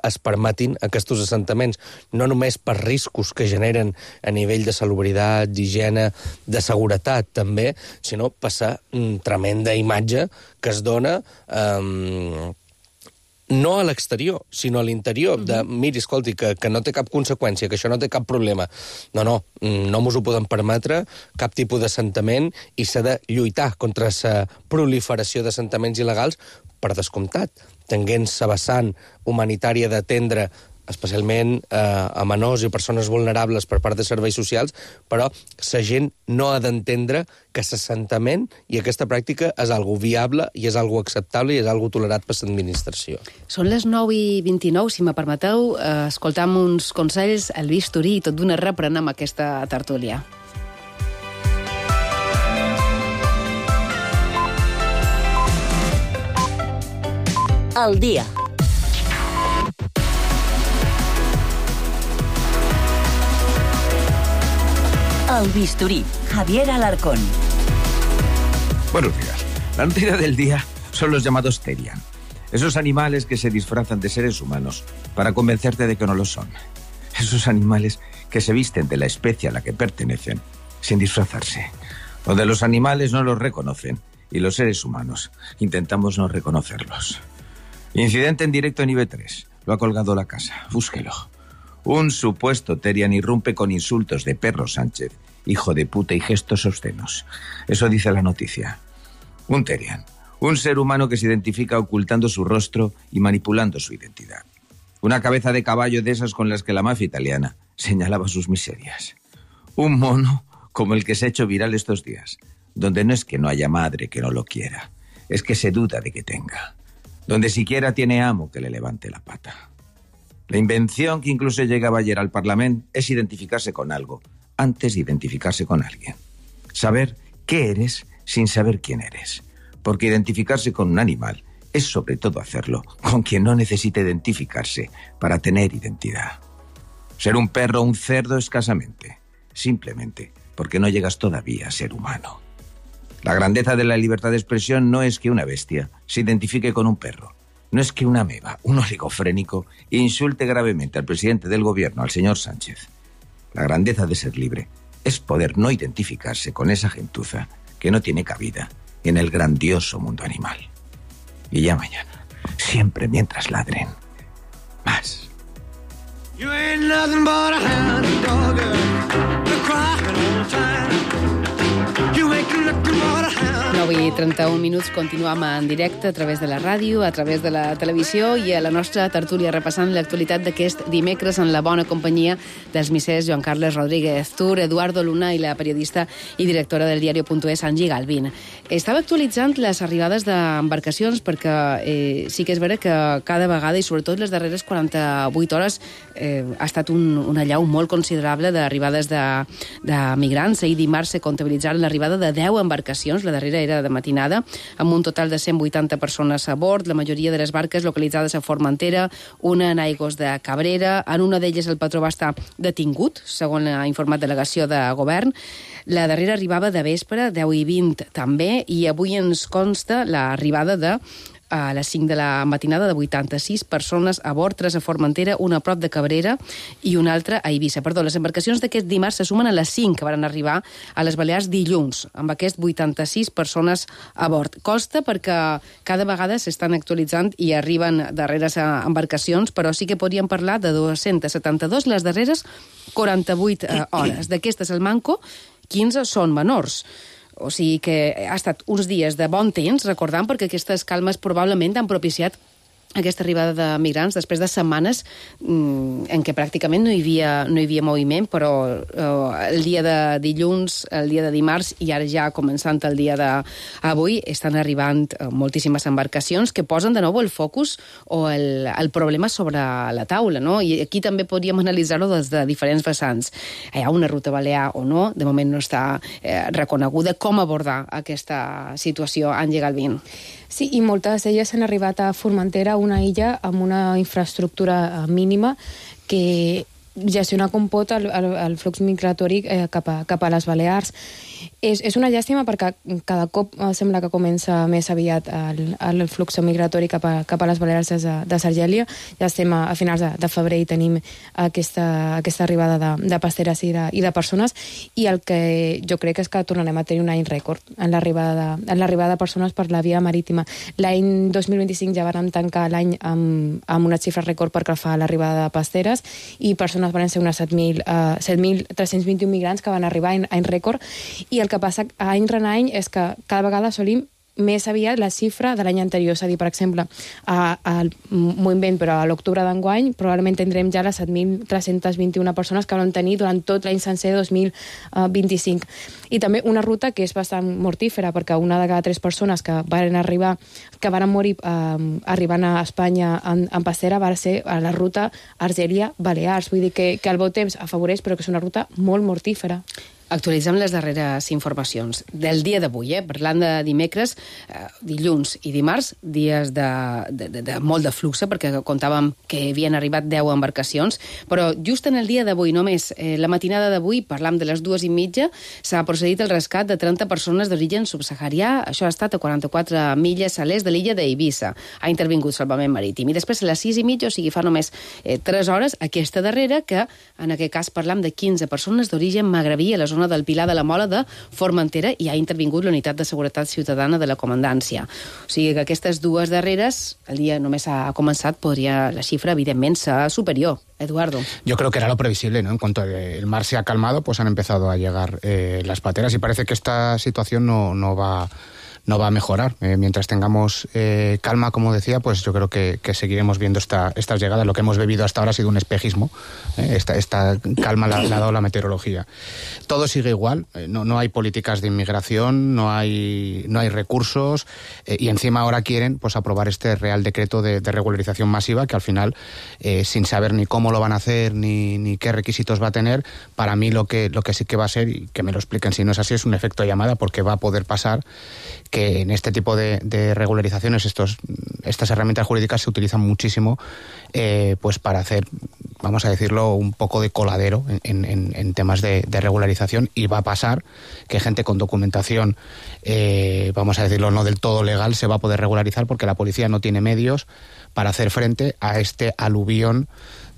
es permetin aquests assentaments, no només per riscos que generen a nivell de salubritat, d'higiene, de seguretat també, sinó per la tremenda imatge que es dona no a l'exterior, sinó a l'interior, de, miri, escolti, que no té cap conseqüència, que això no té cap problema. No mos ho podem permetre, cap tipus d'assentament, i s'ha de lluitar contra la proliferació d'assentaments il·legals, per descomptat, tenint la vessant humanitària d'atendre especialment a menors i persones vulnerables per part de serveis socials, però la gent no ha d'entendre que l'assentament i aquesta pràctica és algo viable i és algo acceptable i és algo tolerat per l'administració. Són les 9:29, si me permeteu, escoltam uns consells al bisturí i tot d'una reprenem aquesta tertúlia. Al dia. El bisturí, Javier Alarcón. Buenos días. La noticia del día son los llamados Terian. Esos animales que se disfrazan de seres humanos para convencerte de que no lo son. Esos animales que se visten de la especie a la que pertenecen sin disfrazarse. Donde los animales no los reconocen y los seres humanos intentamos no reconocerlos. Incidente en directo en IB3. Lo ha colgado la casa. Búsquelo. Un supuesto Terian irrumpe con insultos de Perro Sánchez, hijo de puta y gestos obscenos. Eso dice la noticia. Un Terian. Un ser humano que se identifica ocultando su rostro y manipulando su identidad. Una cabeza de caballo de esas con las que la mafia italiana señalaba sus miserias. Un mono como el que se ha hecho viral estos días, donde no es que no haya madre que no lo quiera, es que se duda de que tenga. Donde siquiera tiene amo que le levante la pata. La invención que incluso llegaba ayer al Parlamento es identificarse con algo antes de identificarse con alguien. Saber qué eres sin saber quién eres. Porque identificarse con un animal es sobre todo hacerlo con quien no necesita identificarse para tener identidad. Ser un perro o un cerdo escasamente, simplemente porque no llegas todavía a ser humano. La grandeza de la libertad de expresión no es que una bestia se identifique con un perro. No es que una ameba, un oligofrénico, insulte gravemente al presidente del gobierno, al señor Sánchez. La grandeza de ser libre es poder no identificarse con esa gentuza que no tiene cabida en el grandioso mundo animal. Y ya mañana, siempre mientras ladren, más. You ain't nothing but a hound dog, you're crying all the time. You ain't nothing but a hound. 9:31 minuts, continuem en directe a través de la ràdio, a través de la televisió i a la nostra tertúlia repassant l'actualitat d'aquest dimecres en la bona companyia dels missers Joan Carles Rodríguez Tur, Eduardo Luna i la periodista i directora del diario.es, Angie Galvin. Estava actualitzant les arribades d'embarcacions perquè sí que és vera que cada vegada, i sobretot les darreres 48 hores, ha estat una allau molt considerable d'arribades de migrants. Ahir dimarts se comptabilitzaren l'arribada de 10 embarcacions, la darrera era de matinada, amb un total de 180 persones a bord, la majoria de les barques localitzades a Formentera, una en aigües de Cabrera. En una d'elles el patró va estar detingut, segons ha informat delegació de govern. La darrera arribava de vespre, 10:20 també, i avui ens consta l'arribada de a les 5 de la matinada de 86 persones a bord, 3 a Formentera, una a prop de Cabrera i una altra a Eivissa. Perdó, les embarcacions d'aquest dimarts se sumen a les 5 que van arribar a les Balears dilluns, amb aquest 86 persones a bord. Costa perquè cada vegada s'estan actualitzant i arriben darreres embarcacions, però sí que podríem parlar de 272 les darreres 48 hores. D'aquestes, el manco, 15 són menors. O sigui que ha estat uns dies de bon temps, recordant, perquè aquestes calmes probablement han propiciat aquesta arribada de migrants després de setmanes en què pràcticament no hi havia moviment, però el dia de dilluns, el dia de dimarts i ara ja començant el dia d'avui estan arribant moltíssimes embarcacions que posen de nou el focus o el problema sobre la taula, no? I aquí també podríem analitzar-ho des de diferents vessants. Hi ha una ruta balear o no, de moment no està reconeguda. Com abordar aquesta situació, Angie Galvin? Sí, i moltes d'elles han arribat a Formentera, una illa amb una infraestructura mínima que gestiona com pot el flux migratori cap a les Balears. És una llàstima perquè cada cop sembla que comença més aviat el flux migratori cap a les Balears de Sargèlia. Ja estem a finals de febrer i tenim aquesta arribada de pasteres i de persones, i el que jo crec és que tornarem a tenir un any rècord en l'arribada de persones per la via marítima. L'any 2025 ja vam tancar l'any amb una xifra rècord perquè fa l'arribada de pasteres, i persones van ser unes 7.321 migrants que van arribar en any rècord, i el que passa any rere any és que cada vegada assolim més aviat la xifra de l'any anterior. És a dir, per exemple, m'ho invent, però a l'octubre d'enguany probablement tindrem ja les 7.321 persones que van tenir durant tot l'any sencer 2025. I també una ruta que és bastant mortífera, perquè una de cada 3 persones que van morir arribant a Espanya en passera va ser a la ruta Argèlia-Balears. Vull dir que el bon temps afavoreix, però que és una ruta molt mortífera. Actualitzem les darreres informacions del dia d'avui, parlant de dimecres, dilluns i dimarts, dies de molt de flux, perquè contàvem que havien arribat 10 embarcacions, però just en el dia d'avui, només la matinada d'avui, parlam de les 2:30, s'ha procedit el rescat de 30 persones d'origen subsaharià. Això ha estat a 44 milles a l'est de l'illa d'Eivissa. Ha intervingut Salvament Marítim. I després a les 6:30, o sigui, fa només 3 hores, aquesta darrera, que en aquest cas parlam de 15 persones d'origen magrebí a la zona del Pilar de la Mola de Formentera, i ha intervingut la Unitat de Seguretat Ciutadana de la Comandància. O sigui que aquestes dues darreres, el dia només ha començat, podria la xifra, evidentment, ser superior. Eduardo. Yo creo que era lo previsible, ¿no? En cuanto el mar se ha calmado, pues han empezado a llegar las pateras, y parece que esta situación no va a mejorar. Mientras tengamos calma, como decía, pues yo creo que seguiremos viendo estas llegadas. Lo que hemos bebido hasta ahora ha sido un espejismo. Esta calma la ha dado la meteorología. Todo sigue igual. No hay políticas de inmigración, no hay recursos, y encima ahora quieren pues aprobar este Real Decreto de regularización masiva, que al final, sin saber ni cómo lo van a hacer ni qué requisitos va a tener, para mí lo que sí que va a ser, y que me lo expliquen si no es así, es un efecto llamada, porque va a poder pasar que en este tipo de regularizaciones estas herramientas jurídicas se utilizan muchísimo pues para hacer, vamos a decirlo, un poco de coladero en temas de regularización, y va a pasar que gente con documentación, vamos a decirlo, no del todo legal, se va a poder regularizar, porque la policía no tiene medios para hacer frente a este aluvión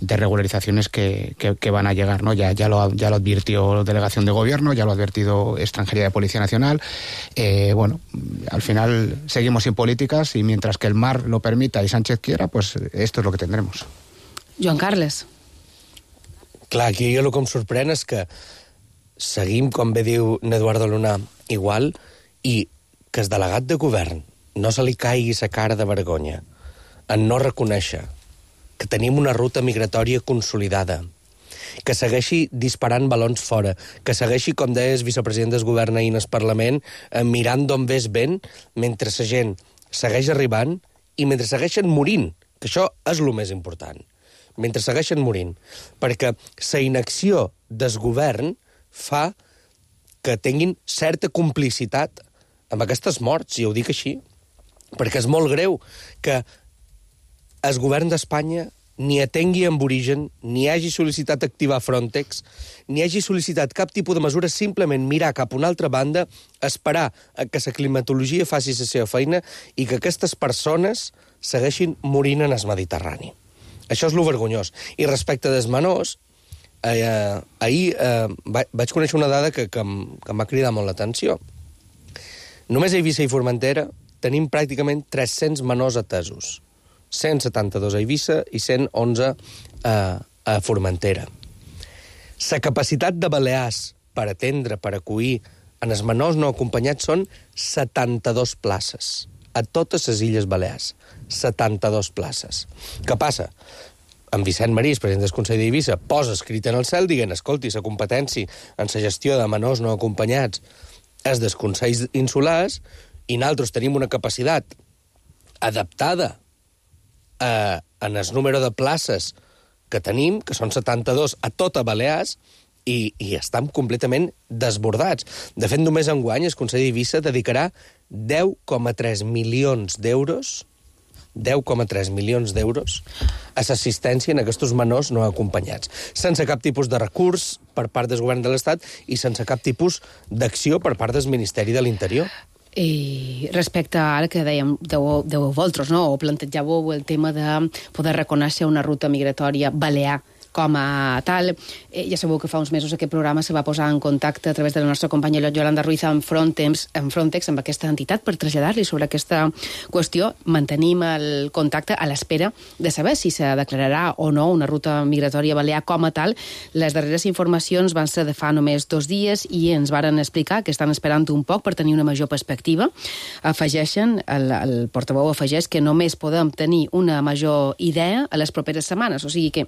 de regularizaciones que van a llegar, ¿no? Ya lo advirtió Delegación de Gobierno, ya lo ha advertido Extranjería de Policía Nacional. Bueno, al final seguimos sin políticas, y mientras que el mar lo permita y Sánchez quiera, pues esto es lo que tendremos. Joan Carles. Clar, aquí jo el que em sorprèn és que seguim, com bé diu n'Eduardo Luna, igual, i que el delegat de govern no se li caigui la cara de vergonya en no reconèixer que tenim una ruta migratòria consolidada, que segueixi disparant balons fora, que segueixi, com deia el vicepresident del govern ahir al Parlament, mirant d'on ve el vent, mentre la gent segueix arribant i mentre segueixen morint, que això és el més important, mentre segueixen morint, perquè la inacció del govern fa que tinguin certa complicitat amb aquestes morts, i ho dic així, perquè és molt greu que el govern d'Espanya ni atengui amb origen, ni hagi sol·licitat activar Frontex, ni hagi sol·licitat cap tipus de mesura, simplement mirar cap a una altra banda, esperar que la climatologia faci la seva feina i que aquestes persones segueixin morint en el Mediterrani. Això és lo vergonyós. I respecte dels menors, ahir vaig conèixer una dada que em va cridar molt l'atenció. Només a Eivissa i Formentera tenim pràcticament 300 menors atesos. 172 a Eivissa i 111 a Formentera. La capacitat de Balears per atendre, per acollir en els menors no acompanyats són 72 places. A totes les Illes Balears. 72 places. Què passa? En Vicent Marís, president del Consell d'Eivissa, posa escrit en el cel dient, escolti, la competència en la gestió de menors no acompanyats és dels Consells Insulars, i nosaltres tenim una capacitat adaptada en el número de places que tenim, que són 72 a tota Balears, i estem completament desbordats. De fet, només enguany el Consell d'Eivissa dedicarà 10,3 milions d'euros 10,3 milions d'euros a l'assistència en aquests menors no acompanyats, sense cap tipus de recurs per part del govern de l'Estat i sense cap tipus d'acció per part del Ministeri de l'Interior. I respecte a ara que dèiem de vosaltres, no? O plantejàveu el tema de poder reconèixer una ruta migratòria balear com a tal. Ja sabeu que fa uns mesos aquest programa se va posar en contacte a través de la nostra companya Yolanda Ruiz amb Frontex, amb aquesta entitat, per traslladar-li sobre aquesta qüestió. Mantenim el contacte a l'espera de saber si se declararà o no una ruta migratòria balear com a tal. Les darreres informacions van ser de fa només 2 dies i ens varen explicar que estan esperant un poc per tenir una major perspectiva. Afegeixen, el portaveu afegeix que només podem tenir una major idea a les properes setmanes. O sigui que,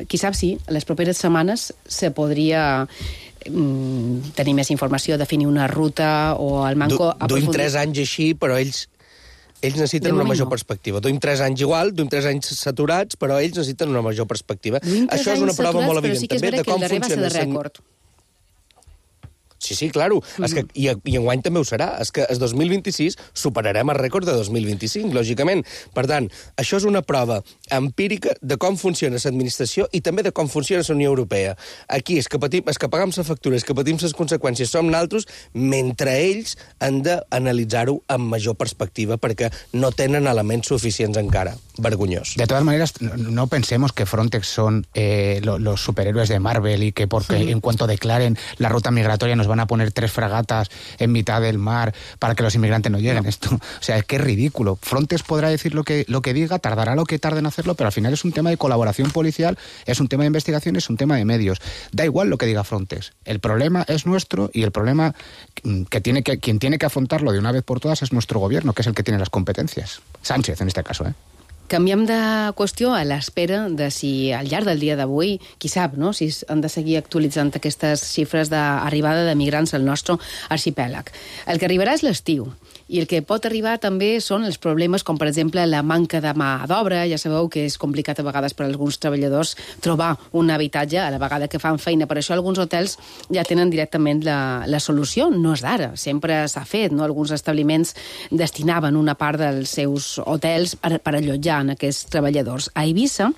qui sap si, a les properes setmanes se podria tenir més informació, definir una ruta o el manco... Duim 3 anys així, però ells necessiten una major perspectiva. Duim 3 anys igual, duim 3 anys saturats, però ells necessiten una major perspectiva. Això és una prova molt evident també de com funciona. Sí, claro. I enguany també ho serà. És que el 2026 superarem el rècord de 2025, lògicament. Per tant, això és una prova empírica de com funciona l'administració i també de com funciona la Unió Europea. Aquí és que pagam la factura, és que patim les conseqüències, som naltros, mentre ells han d'analitzar-ho amb major perspectiva perquè no tenen elements suficients encara. Vergonyós. De todas maneras, no pensemos que Frontex son los superhéroes de Marvel y que porque en cuanto declaren la ruta migratoria nos van a poner 3 fragatas en mitad del mar para que los inmigrantes no lleguen. Esto, o sea, es que es ridículo. Frontex podrá decir lo que diga, tardará lo que tarde en hacerlo, pero al final es un tema de colaboración policial, es un tema de investigación, es un tema de medios. Da igual lo que diga Frontex. El problema es nuestro y el problema quien tiene que afrontarlo de una vez por todas es nuestro gobierno, que es el que tiene las competencias. Sánchez, en este caso, Canviem de qüestió a l'espera de si al llarg del dia d'avui, qui sap, no?, si han de seguir actualitzant aquestes xifres d'arribada de migrants al nostre arxipèlag. El que arribarà és l'estiu, i el que pot arribar també són els problemes com, per exemple, la manca de mà d'obra. Ja sabeu que és complicat a vegades per a alguns treballadors trobar un habitatge a la vegada que fan feina. Per això alguns hotels ja tenen directament la solució. No és d'ara, sempre s'ha fet, no? Alguns establiments destinaven una part dels seus hotels per allotjar en aquests treballadors. A Eivissa,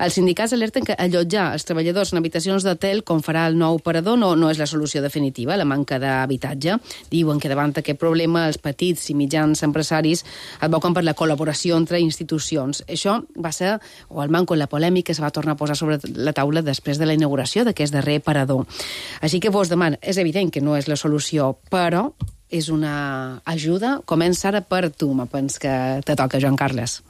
els sindicats alerten que allotjar els treballadors en habitacions d'hotel, com farà el nou operador, no és la solució definitiva, la manca d'habitatge. Diuen que davant aquest problema els petits i mitjans empresaris advoquen per la col·laboració entre institucions. Això va ser, o el manco en la polèmica, es va tornar a posar sobre la taula després de la inauguració d'aquest darrer parador. Així que vos demano, és evident que no és la solució, però és una ajuda. Comença ara per tu, me pens que te toca, Joan Carles.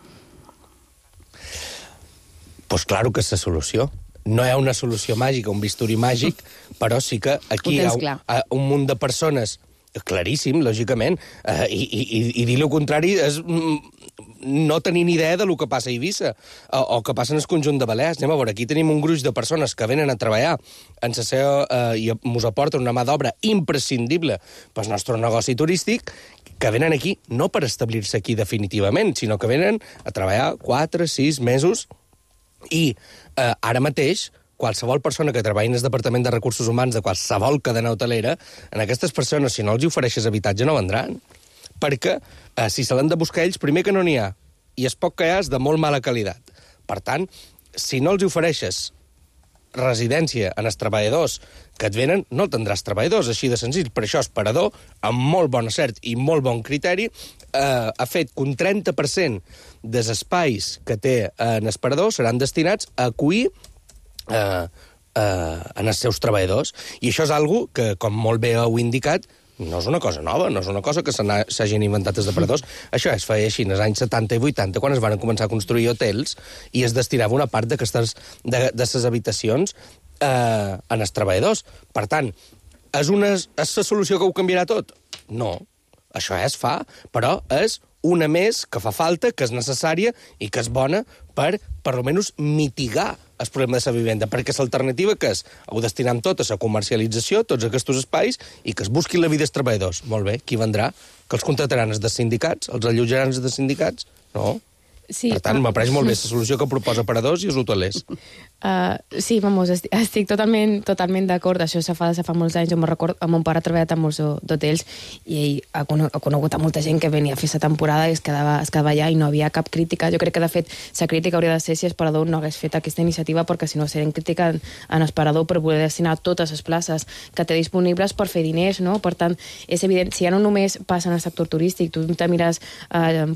Pues claro que és la solució. No hi ha una solució màgica, un bisturí màgic, però sí que aquí hi ha un munt de persones, claríssim, lògicament, i dir el contrari és no tenir ni idea del que passa a Eivissa o que passa en el conjunt de Balears. Anem a veure, aquí tenim un gruix de persones que venen a treballar en la seva, i ens aporten una mà d'obra imprescindible pel nostre negoci turístic, que venen aquí no per establir-se aquí definitivament, sinó que venen a treballar 4, 6 mesos. I ara mateix, qualsevol persona que treballi en el Departament de Recursos Humans de qualsevol cadena hotelera, en aquestes persones, si no els ofereixes habitatge, no vendran. Perquè si se l'han de buscar ells, primer que no n'hi ha, i es poc que hi ha és de molt mala qualitat. Per tant, si no els ofereixes residència en els treballadors que et venen, no tindràs treballadors, així de senzill. Per això el parador, amb molt bon acert i molt bon criteri, ha fet que un 30% dels espais que té en el parador seran destinats a acollir en els seus treballadors. I això és algo que, com molt bé heu indicat, no és una cosa nova, no és una cosa que s'hagin inventat els depredadors. Això es feia així en els anys 70 i 80, quan es van començar a construir hotels i es destinava una part de les habitacions en els treballadors. Per tant, és la solució que ho canviarà tot? No. Això es fa, però és una més que fa falta, que és necessària i que és bona per almenys mitigar el problema de la vivenda, perquè l'alternativa que és ho destinem tot a la comercialització, tots aquests espais, i que es busquin la vida dels treballadors. Molt bé, qui vendrà? Que els contrataran els dels sindicats? Els allotjaran els dels sindicats? No. Sí, per tant, m'apareix molt bé la solució que proposa paradors i els hotelers. Sí, vamos, estic totalment d'acord. Això se fa molts anys. Jo me'n recordo, mon pare ha treballat en molts d'hotels i ell ha conegut a molta gent que venia a fer la temporada i es quedava allà i no havia cap crítica. Jo crec que, de fet, la crítica hauria de ser si el parador no hagués fet aquesta iniciativa, perquè si no serien crítica en el parador per voler destinar totes les places que té disponibles per fer diners, no? Per tant, és evident, si ja no només passa en el sector turístic, tu te mires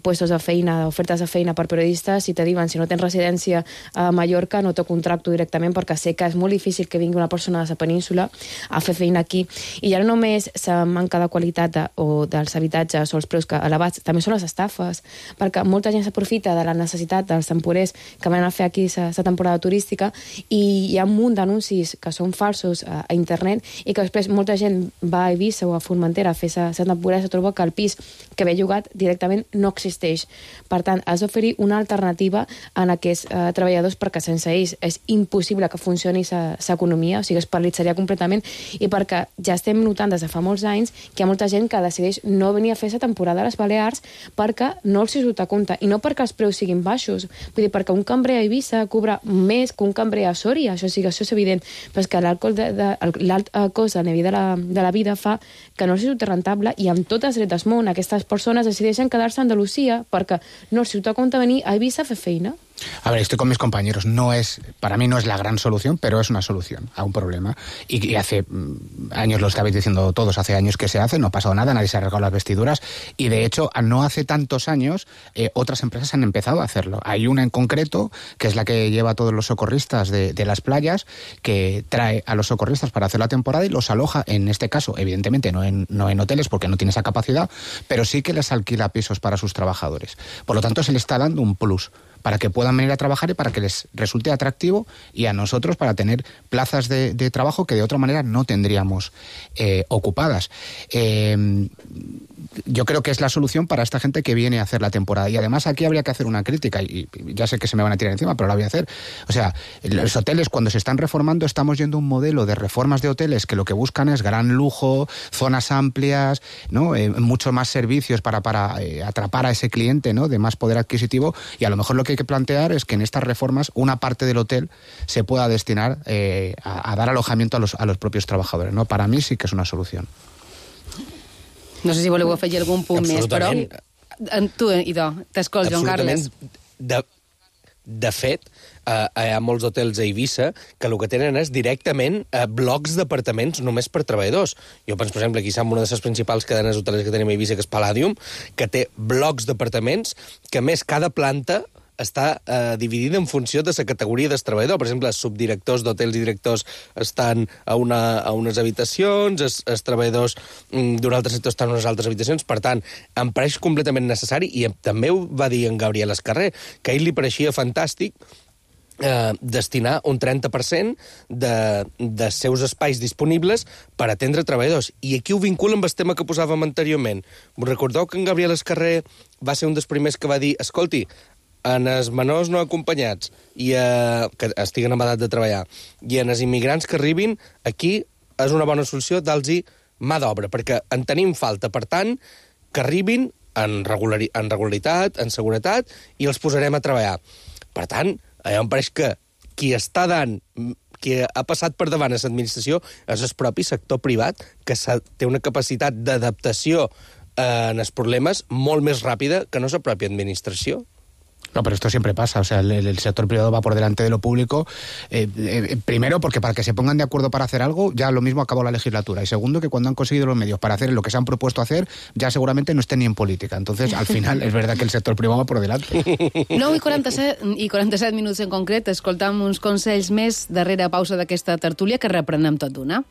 puestos de feina, ofertes de feina per periodistes, i te diuen, si no tens residència a Mallorca, no te contracten contacto directament perquè sé que és molt difícil que vingui una persona de la península a fer feina aquí. I ja no només la manca de qualitat dels habitatges o els preus elevats, també són les estafes, perquè molta gent s'aprofita de la necessitat dels temporers que van a fer aquí la temporada turística i hi ha un munt d'anuncis que són falsos a internet i que després molta gent va a Eivissa o a Formentera a fer la temporada i se troba que el pis que ve llogat directament no existeix. Per tant, has d'oferir una alternativa a aquests treballadors perquè sense ells és impossible que funcioni l'economia, o sigui, es paralitzaria completament, i perquè ja estem notant des de fa molts anys que hi ha molta gent que decideix no venir a fer la temporada a les Balears perquè no els surt a compte, i no perquè els preus siguin baixos, vull dir, perquè un cambrer a Eivissa cobra més que un cambrer a Sòria, això és evident, però és que l'alt cost de la vida fa que no els surt rentable, i amb totes les drets del món aquestes persones decideixen quedar-se a Andalusia perquè no els surt a compte venir a Eivissa a fer feina. A ver, estoy con mis compañeros. Para mí no es la gran solución, pero es una solución a un problema. Y hace años, lo estabais diciendo todos, hace años que se hace, no ha pasado nada, nadie se ha arreglado las vestiduras. Y de hecho, no hace tantos años, otras empresas han empezado a hacerlo. Hay una en concreto, que es la que lleva a todos los socorristas de las playas, que trae a los socorristas para hacer la temporada y los aloja, en este caso, evidentemente no en hoteles porque no tiene esa capacidad, pero sí que les alquila pisos para sus trabajadores. Por lo tanto, se le está dando un plus para que puedan venir a trabajar y para que les resulte atractivo, y a nosotros para tener plazas de trabajo que de otra manera no tendríamos ocupadas. Yo creo que es la solución para esta gente que viene a hacer la temporada. Y además aquí habría que hacer una crítica, y ya sé que se me van a tirar encima, pero la voy a hacer. O sea, los hoteles, cuando se están reformando, estamos yendo a un modelo de reformas de hoteles que lo que buscan es gran lujo, zonas amplias, ¿no? Mucho más servicios para atrapar a ese cliente, ¿no? De más poder adquisitivo, y a lo mejor lo que hay que plantear es que en estas reformas una parte del hotel se pueda destinar a dar alojamiento a los propios trabajadores, ¿no? Para mí sí que es una solución. No sé si voleu afegir algun punt més, però... Tu, Idò, t'escolta, Joan Carles. De fet, hi ha molts hotels a Eivissa que el que tenen és directament blocs d'apartaments només per treballadors. Jo penso, per exemple, aquí som una de les principals cadenes hoteleres que tenim a Eivissa, que és Palladium, que té blocs d'apartaments que, a més, cada planta està dividida en funció de la categoria del treballador. Per exemple, els subdirectors d'hotels i directors estan a unes habitacions, els treballadors d'un altre sector estan a unes altres habitacions. Per tant, em pareix completament necessari, i també ho va dir en Gabriel Escarrer, que a ell li pareixia fantàstic destinar un 30% dels seus espais disponibles per atendre treballadors. I aquí ho vincula amb el tema que posàvem anteriorment. Us recordeu que en Gabriel Escarrer va ser un dels primers que va dir: escolti, en els menors no acompanyats que estiguen en edat de treballar, i en els immigrants que arribin, aquí és una bona solució dar-los mà d'obra, perquè en tenim falta. Per tant, que arribin en regularitat, en seguretat, i els posarem a treballar. Per tant, em pareix que qui ha passat per davant a l'administració és el propi sector privat, que té una capacitat d'adaptació en els problemes molt més ràpida que no la pròpia administració. No, pero esto siempre pasa. O sea, el sector privado va por delante de lo público. Primero, porque para que se pongan de acuerdo para hacer algo, ya lo mismo acabó la legislatura. Y segundo, que cuando han conseguido los medios para hacer lo que se han propuesto hacer, ya seguramente no estén ni en política. Entonces, al final, es verdad que el sector privado va por delante. 9:47 minuts en concret. Escoltam uns consells més darrere pausa d'aquesta tertúlia, que reprenem tot d'una.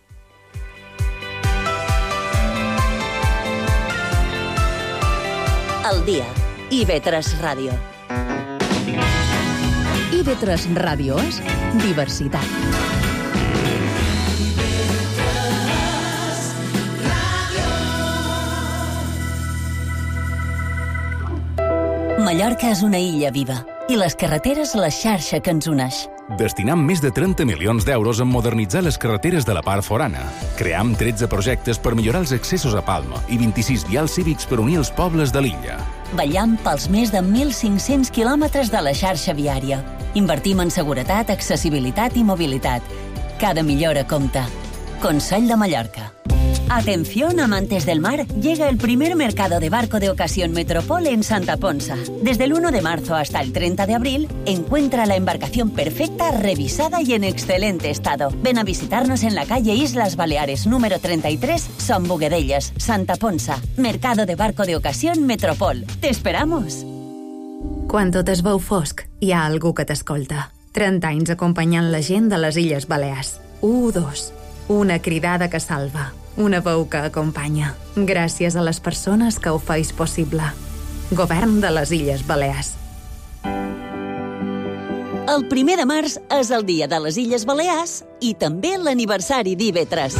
El dia. IB3 Ràdio. IB3 Ràdio és diversitat. Mallorca és una illa viva i les carreteres la xarxa que ens uneix. Destinam més de 30 milions d'euros en modernitzar les carreteres de la part forana. Cream 13 projectes per millorar els accessos a Palma i 26 vials cívics per unir els pobles de l'illa. Vetllam pels més de 1.500 quilòmetres de la xarxa viària. Invertim en seguretat, accessibilitat i mobilitat. Cada millora compta. Consell de Mallorca. Atención, amantes del mar, llega el primer mercado de barco de ocasión Metropol en Santa Ponsa. Desde el 1 de marzo hasta el 30 de abril, encuentra la embarcación perfecta, revisada y en excelente estado. Ven a visitarnos en la calle Islas Baleares, número 33, Son Boguedellas, Santa Ponsa. Mercado de barco de ocasión Metropol. ¡Te esperamos! Quan tot es veu fosc, hi ha algú que t'escolta. 30 anys acompanyant la gent de les Illes Balears. 1, 2. Una cridada que salva. Una veu que acompanya. Gràcies a les persones que ho feis possible. Govern de les Illes Balears. El 1 de març és el dia de les Illes Balears i també l'aniversari d'IV3.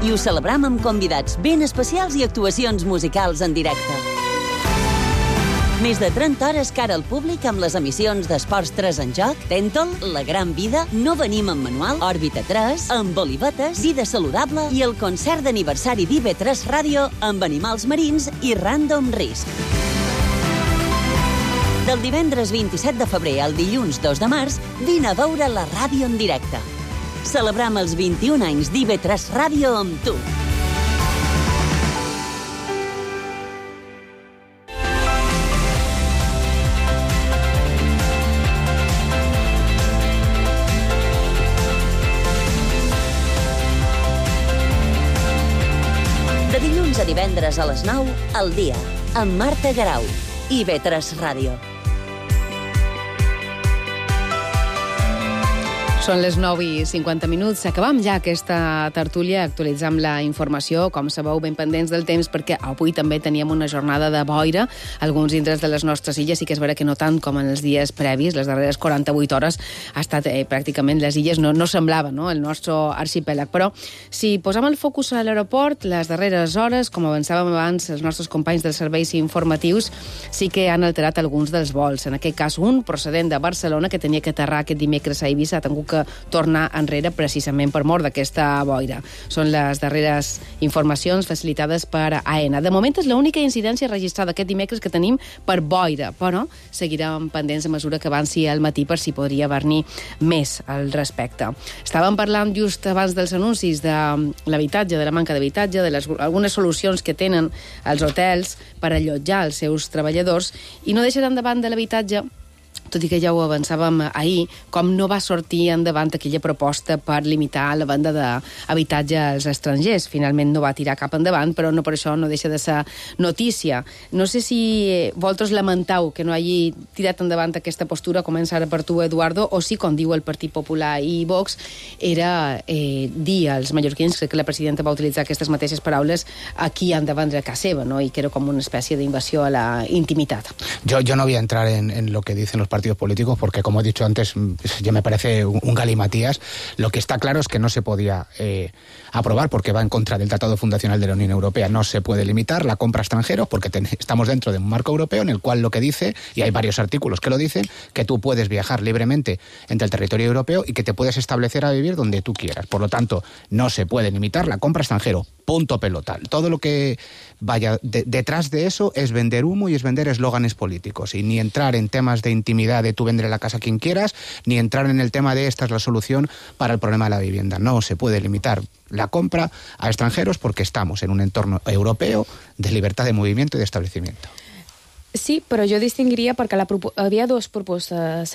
I ho celebram amb convidats ben especials i actuacions musicals en directe. Més de 30 hores cara al públic amb les emissions d'Esports 3 en joc, Tèntol, La Gran Vida, No venim amb manual, Òrbita 3, amb Olivetes, Vida Saludable i el concert d'aniversari d'IV3 Ràdio amb animals marins i Random Risk. Del divendres 27 de febrer al dilluns 2 de març, vine a veure la ràdio en directe. Celebram els 21 anys d'IV3 Ràdio amb tu. De dilluns a divendres a les 9, al dia, amb Marta Garau, IV3 Ràdio. Són les 9:50. Acabam ja aquesta tertúlia, actualitzam la informació, com sabeu, ben pendents del temps, perquè avui també teníem una jornada de boira a alguns indrets de les nostres illes, i que és vera que no tant com en els dies previs, les darreres 48 hores ha estat pràcticament, les illes no semblava, no?, el nostre arxipèlag. Però si posam el focus a l'aeroport, les darreres hores, com avançàvem abans, els nostres companys dels serveis informatius sí que han alterat alguns dels vols. En aquest cas, un procedent de Barcelona que tenia que aterrar aquest dimecres a Eivissa ha tingut que tornar enrere precisament per mort d'aquesta boira. Són les darreres informacions facilitades per AENA. De moment és l'única incidència registrada aquest dimecres que tenim per boira, però seguirem pendents a mesura que avanci el matí per si podria haver-n'hi més al respecte. Estàvem parlant just abans dels anuncis de l'habitatge, de la manca d'habitatge, de algunes solucions que tenen els hotels per allotjar els seus treballadors, i no deixa d'endavant de l'habitatge, tot i que ja ho avançàvem ahir, com no va sortir endavant aquella proposta per limitar la venda d'habitatge als estrangers. Finalment no va tirar cap endavant, però no per això no deixa de ser notícia. No sé si vosaltres lamentau que no hagi tirat endavant aquesta postura, comença ara per tu, Eduardo, o si, com diu el Partit Popular i Vox, era dir als mallorquins, crec que la presidenta va utilitzar aquestes mateixes paraules, aquí han de vendre a casa seva, ¿no? I que era com una espècie d'invasió a la intimitat. Yo no voy a entrar en lo que dicen los partidos políticos, porque como he dicho antes, ya me parece un galimatías. Lo que está claro es que no se podía aprobar porque va en contra del Tratado Fundacional de la Unión Europea. No se puede limitar la compra a extranjeros porque estamos dentro de un marco europeo en el cual lo que dice, y hay varios artículos que lo dicen, que tú puedes viajar libremente entre el territorio europeo y que te puedes establecer a vivir donde tú quieras. Por lo tanto, no se puede limitar la compra a extranjero. Punto pelota. Todo lo que vaya detrás de eso es vender humo y es vender eslóganes políticos, y ni entrar en temas de intimidad de tú vender la casa a quien quieras, ni entrar en el tema de esta es la solución para el problema de la vivienda. No se puede limitar la compra a extranjeros porque estamos en un entorno europeo de libertad de movimiento y de establecimiento. Sí, però jo distingiria perquè hi havia dues propostes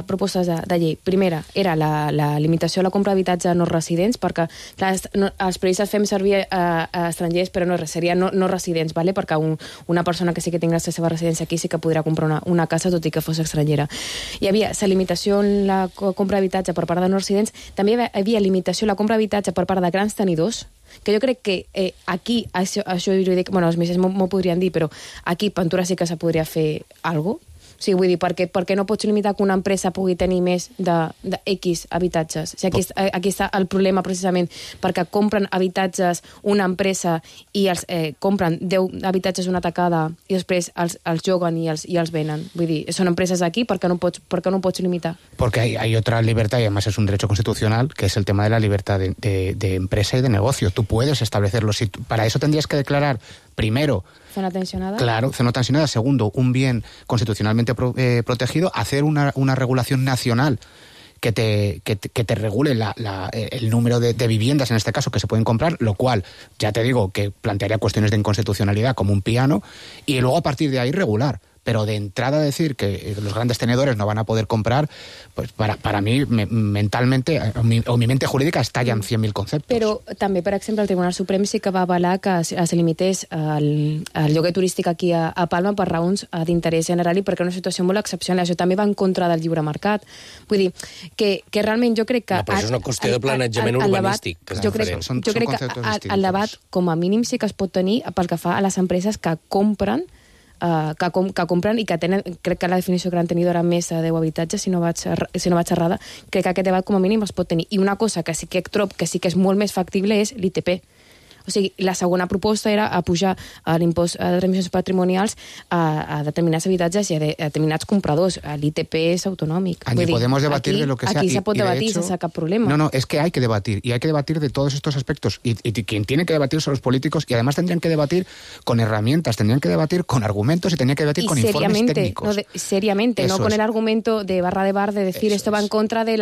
propostes de llei. Primera era la limitació a la compra d'habitatge a no residents, perquè clar, els periodistes fem servir a estrangers, però no seria no residents, ¿vale? Perquè una persona que sí que tingués la seva residència aquí sí que podrà comprar una casa, tot i que fos estrangera. Hi havia la limitació en la compra d'habitatge per part de no residents, també hi havia limitació a la compra d'habitatge per part de grans tenidors, que jo crec que aquí, això jurídic, bueno, els metges m'ho podrien dir, però aquí Ventura sí que se podria fer alguna cosa. Sí, vull dir, perquè no pots limitar que una empresa pugui tenir més de X habitatges. O sigui, aquí està el problema, precisament, perquè compren habitatges una empresa i els compren 10 habitatges una tacada i després els joguen i els venen. Vull dir, són empreses aquí, perquè no pots limitar. Porque hay otra libertad, y además es un derecho constitucional, que es el tema de la libertad de empresa y de negocio. Tú puedes establecerlo. Para eso tendrías que declarar, primero, zona tensionada. Claro, zona tensionada. Segundo, un bien constitucionalmente protegido. Hacer una regulación nacional que te regule el número de viviendas, en este caso, que se pueden comprar, lo cual, ya te digo, que plantearía cuestiones de inconstitucionalidad como un piano, y luego a partir de ahí regular. pero de entrada decir que los grandes tenedores no van a poder comprar, pues para mí mentalmente, o mi mente jurídica estalla en 100.000 conceptos. Però també, per exemple, el Tribunal Suprem sí que va avalar que es limités el lloguer turístic aquí a Palma per raons d'interès general i perquè és una situació molt excepcional. Això també va en contra del lliure mercat. Vull dir, que realment jo crec que... No, però això és una qüestió de planejament urbanístic. Jo crec que el debat, com a mínim, sí que es pot tenir pel que fa a les empreses que compren que compren i que tenen, crec que la definició que han tenit era més de 10 habitatges, si no vaig errada, crec que aquest debat com a mínim es pot tenir. I una cosa que sí que trobo que sí que és molt més factible és l'ITP. O sigui, la segona proposta era pujar l'impost de transmissions patrimonials a determinats habitatges i a determinats compradors. L'ITP és autonòmic. Angie, podemos debatir de lo que sea. Aquí se pot debatir sense cap problema. No, es que hay que debatir. Y hay que debatir de todos estos aspectos. Y quien tiene que debatir son los políticos. Y además tendrían que debatir con herramientas, tendrían que debatir con argumentos y tendrían que debatir con informes técnicos. Seriamente, no con el argumento de barra de bar de decir esto va en contra de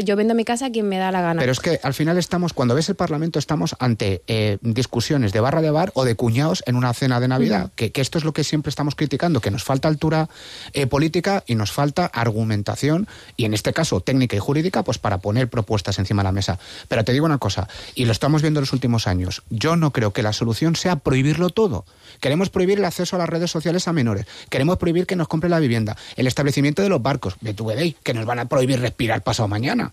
yo vendo mi casa a quien me da la gana. Pero es que al final cuando ves el Parlamento, estamos ante discusiones de barra de bar o de cuñados en una cena de Navidad, que esto es lo que siempre estamos criticando, que nos falta altura política y nos falta argumentación, y en este caso técnica y jurídica, pues para poner propuestas encima de la mesa. Pero te digo una cosa, y lo estamos viendo en los últimos años, yo no creo que la solución sea prohibirlo todo. Queremos prohibir el acceso a las redes sociales a menores, queremos prohibir que nos compren la vivienda, el establecimiento de los barcos, que nos van a prohibir respirar pasado mañana.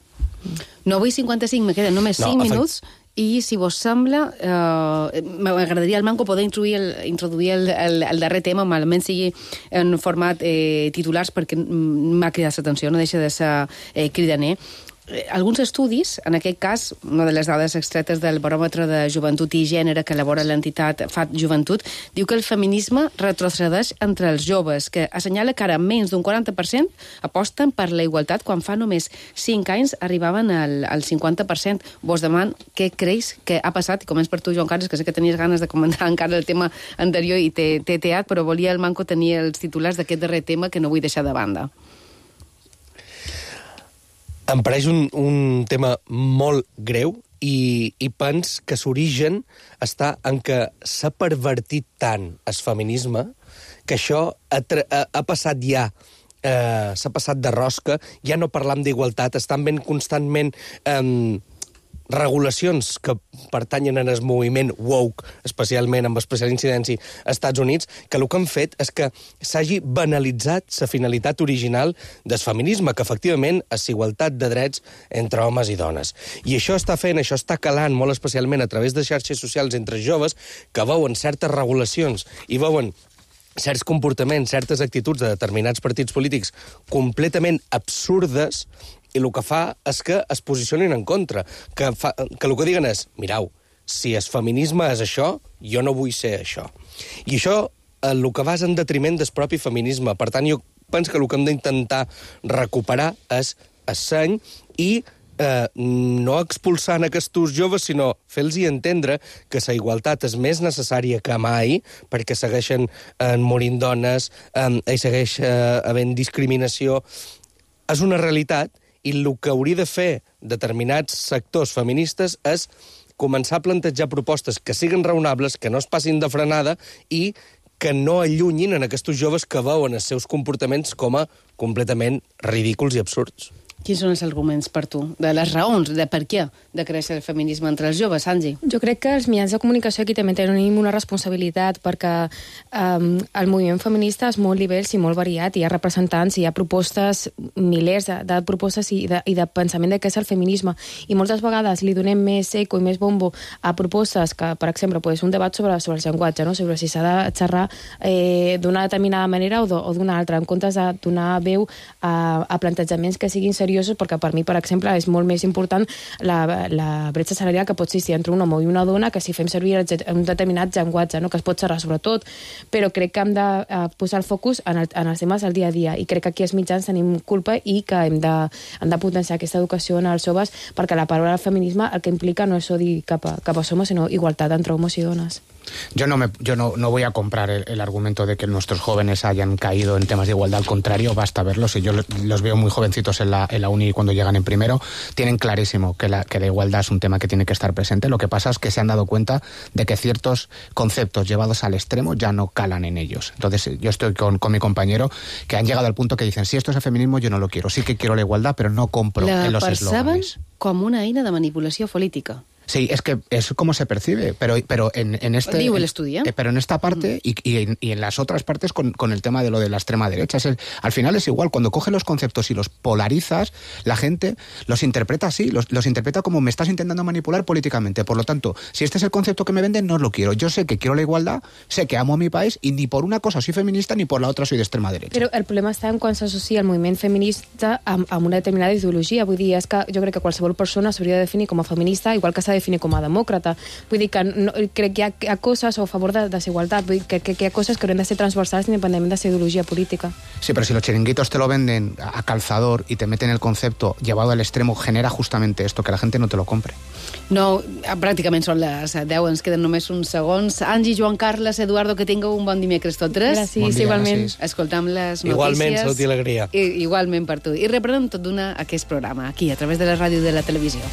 9:55, me queden només 5 minuts. I, si vos sembla, m'agradaria al Manco poder introduir el darrer tema, almenys sigui en format titulars, perquè m'ha cridat l'atenció, no deixa de ser cridaner. Alguns estudis, en aquest cas, una de les dades extretes del Baròmetre de Joventut i Gènere que elabora l'entitat FAT Joventut, diu que el feminisme retrocedeix entre els joves, que assenyala que ara menys d'un 40% aposten per la igualtat, quan fa només 5 anys arribaven al 50%. Vos deman què creus que ha passat? I començ per tu, Joan Carles, que sé que tenies ganes de comentar encara el tema anterior i t'he teat, però volia el Manco tenir els titulars d'aquest darrer tema que no vull deixar de banda. Em pareix un tema molt greu i pens que s'origen està en que s'ha pervertit tant el feminisme que això ha passat ja, s'ha passat de rosca, ja no parlam d'igualtat, estan ben constantment regulacions que pertanyen al moviment woke, especialment amb especial incidència als Estats Units, que el que han fet és que s'hagi banalitzat la finalitat original del feminisme, que efectivament és igualtat de drets entre homes i dones. I això està calant molt especialment a través de xarxes socials entre joves que veuen certes regulacions i veuen certs comportaments, certes actituds de determinats partits polítics completament absurdes, i el que fa és que es posicionin en contra, que el que diguen és, mirau, si el feminisme és això, jo no vull ser això. I això el que va és en detriment del propi feminisme. Per tant, jo penso que el que hem d'intentar recuperar és el seny i no expulsant aquests joves, sinó fer-los entendre que la igualtat és més necessària que mai, perquè segueixen morint dones, hi segueix havent discriminació. És una realitat, i el que hauria de fer determinats sectors feministes és començar a plantejar propostes que siguin raonables, que no es passin de frenada i que no allunyin en aquests joves que veuen els seus comportaments com a completament ridículs i absurds. Quins són els arguments per tu? De les raons, de per què de créixer el feminisme entre els joves, Angie? Jo crec que els mitjans de comunicació aquí també tenim una responsabilitat, perquè el moviment feminista és molt divers i molt variat, hi ha representants, hi ha propostes, milers de propostes i de pensament de què és el feminisme, i moltes vegades li donem més eco i més bombo a propostes que, per exemple, un debat sobre el llenguatge, no? Sobre si s'ha de xerrar d'una determinada manera o d'una altra, en comptes de donar veu a plantejaments que siguin seriosos, perquè per mi, per exemple, és molt més important la bretxa salarial que pot existir entre un home i una dona que si fem servir un determinat llenguatge, no? Que es pot xerrar sobre tot, però crec que hem de posar el focus en els temes del dia a dia, i crec que aquí els mitjans tenim culpa i que hem de potenciar aquesta educació en els joves, perquè la paraula feminisme el que implica no és odi cap a homes, sinó igualtat entre homes i dones. Yo no voy a comprar el argumento de que nuestros jóvenes hayan caído en temas de igualdad. Al contrario, basta verlos. Y yo los veo muy jovencitos en la uni cuando llegan en primero. Tienen clarísimo que la igualdad es un tema que tiene que estar presente. Lo que pasa es que se han dado cuenta de que ciertos conceptos llevados al extremo ya no calan en ellos. Entonces, yo estoy con mi compañero, que han llegado al punto que dicen, si esto es el feminismo, yo no lo quiero. Sí que quiero la igualdad, pero no compro en los eslóganes. La perceben com una eina de manipulació política. Sí, es que es como se percibe, pero en este... Digo el estudio. Pero en esta parte y en las otras partes con el tema de lo de la extrema derecha. Al final es igual, cuando coges los conceptos y los polarizas, la gente los interpreta así, los interpreta como me estás intentando manipular políticamente. Por lo tanto, si este es el concepto que me venden, no lo quiero. Yo sé que quiero la igualdad, sé que amo a mi país y ni por una cosa soy feminista ni por la otra soy de extrema derecha. Però el problema està en quan s'associa el moviment feminista amb una determinada ideologia. Vull dir, és que jo crec que qualsevol persona s'hauria de definir com a feminista, igual que s'ha de definir com a demòcrata. Vull dir que crec que hi ha coses a favor de desigualtat. Vull dir que hi ha coses que haurien de ser transversals independentment de la ideologia política. Sí, pero si los chiringuitos te lo venden a calzador y te meten el concepto llevado al extremo, genera justamente esto, que la gente no te lo compre. No, pràcticament són les 10, ens queden només uns segons. Angie, Joan Carles, Eduardo, que tingueu un bon dimecres tots tres. Gràcies, bon dia, igualment. Gràcies. Escoltam les notícies. Igualment, salut i alegria. Igualment per tu. I reprenem tot d'una aquest programa, aquí, a través de la ràdio i de la televisió.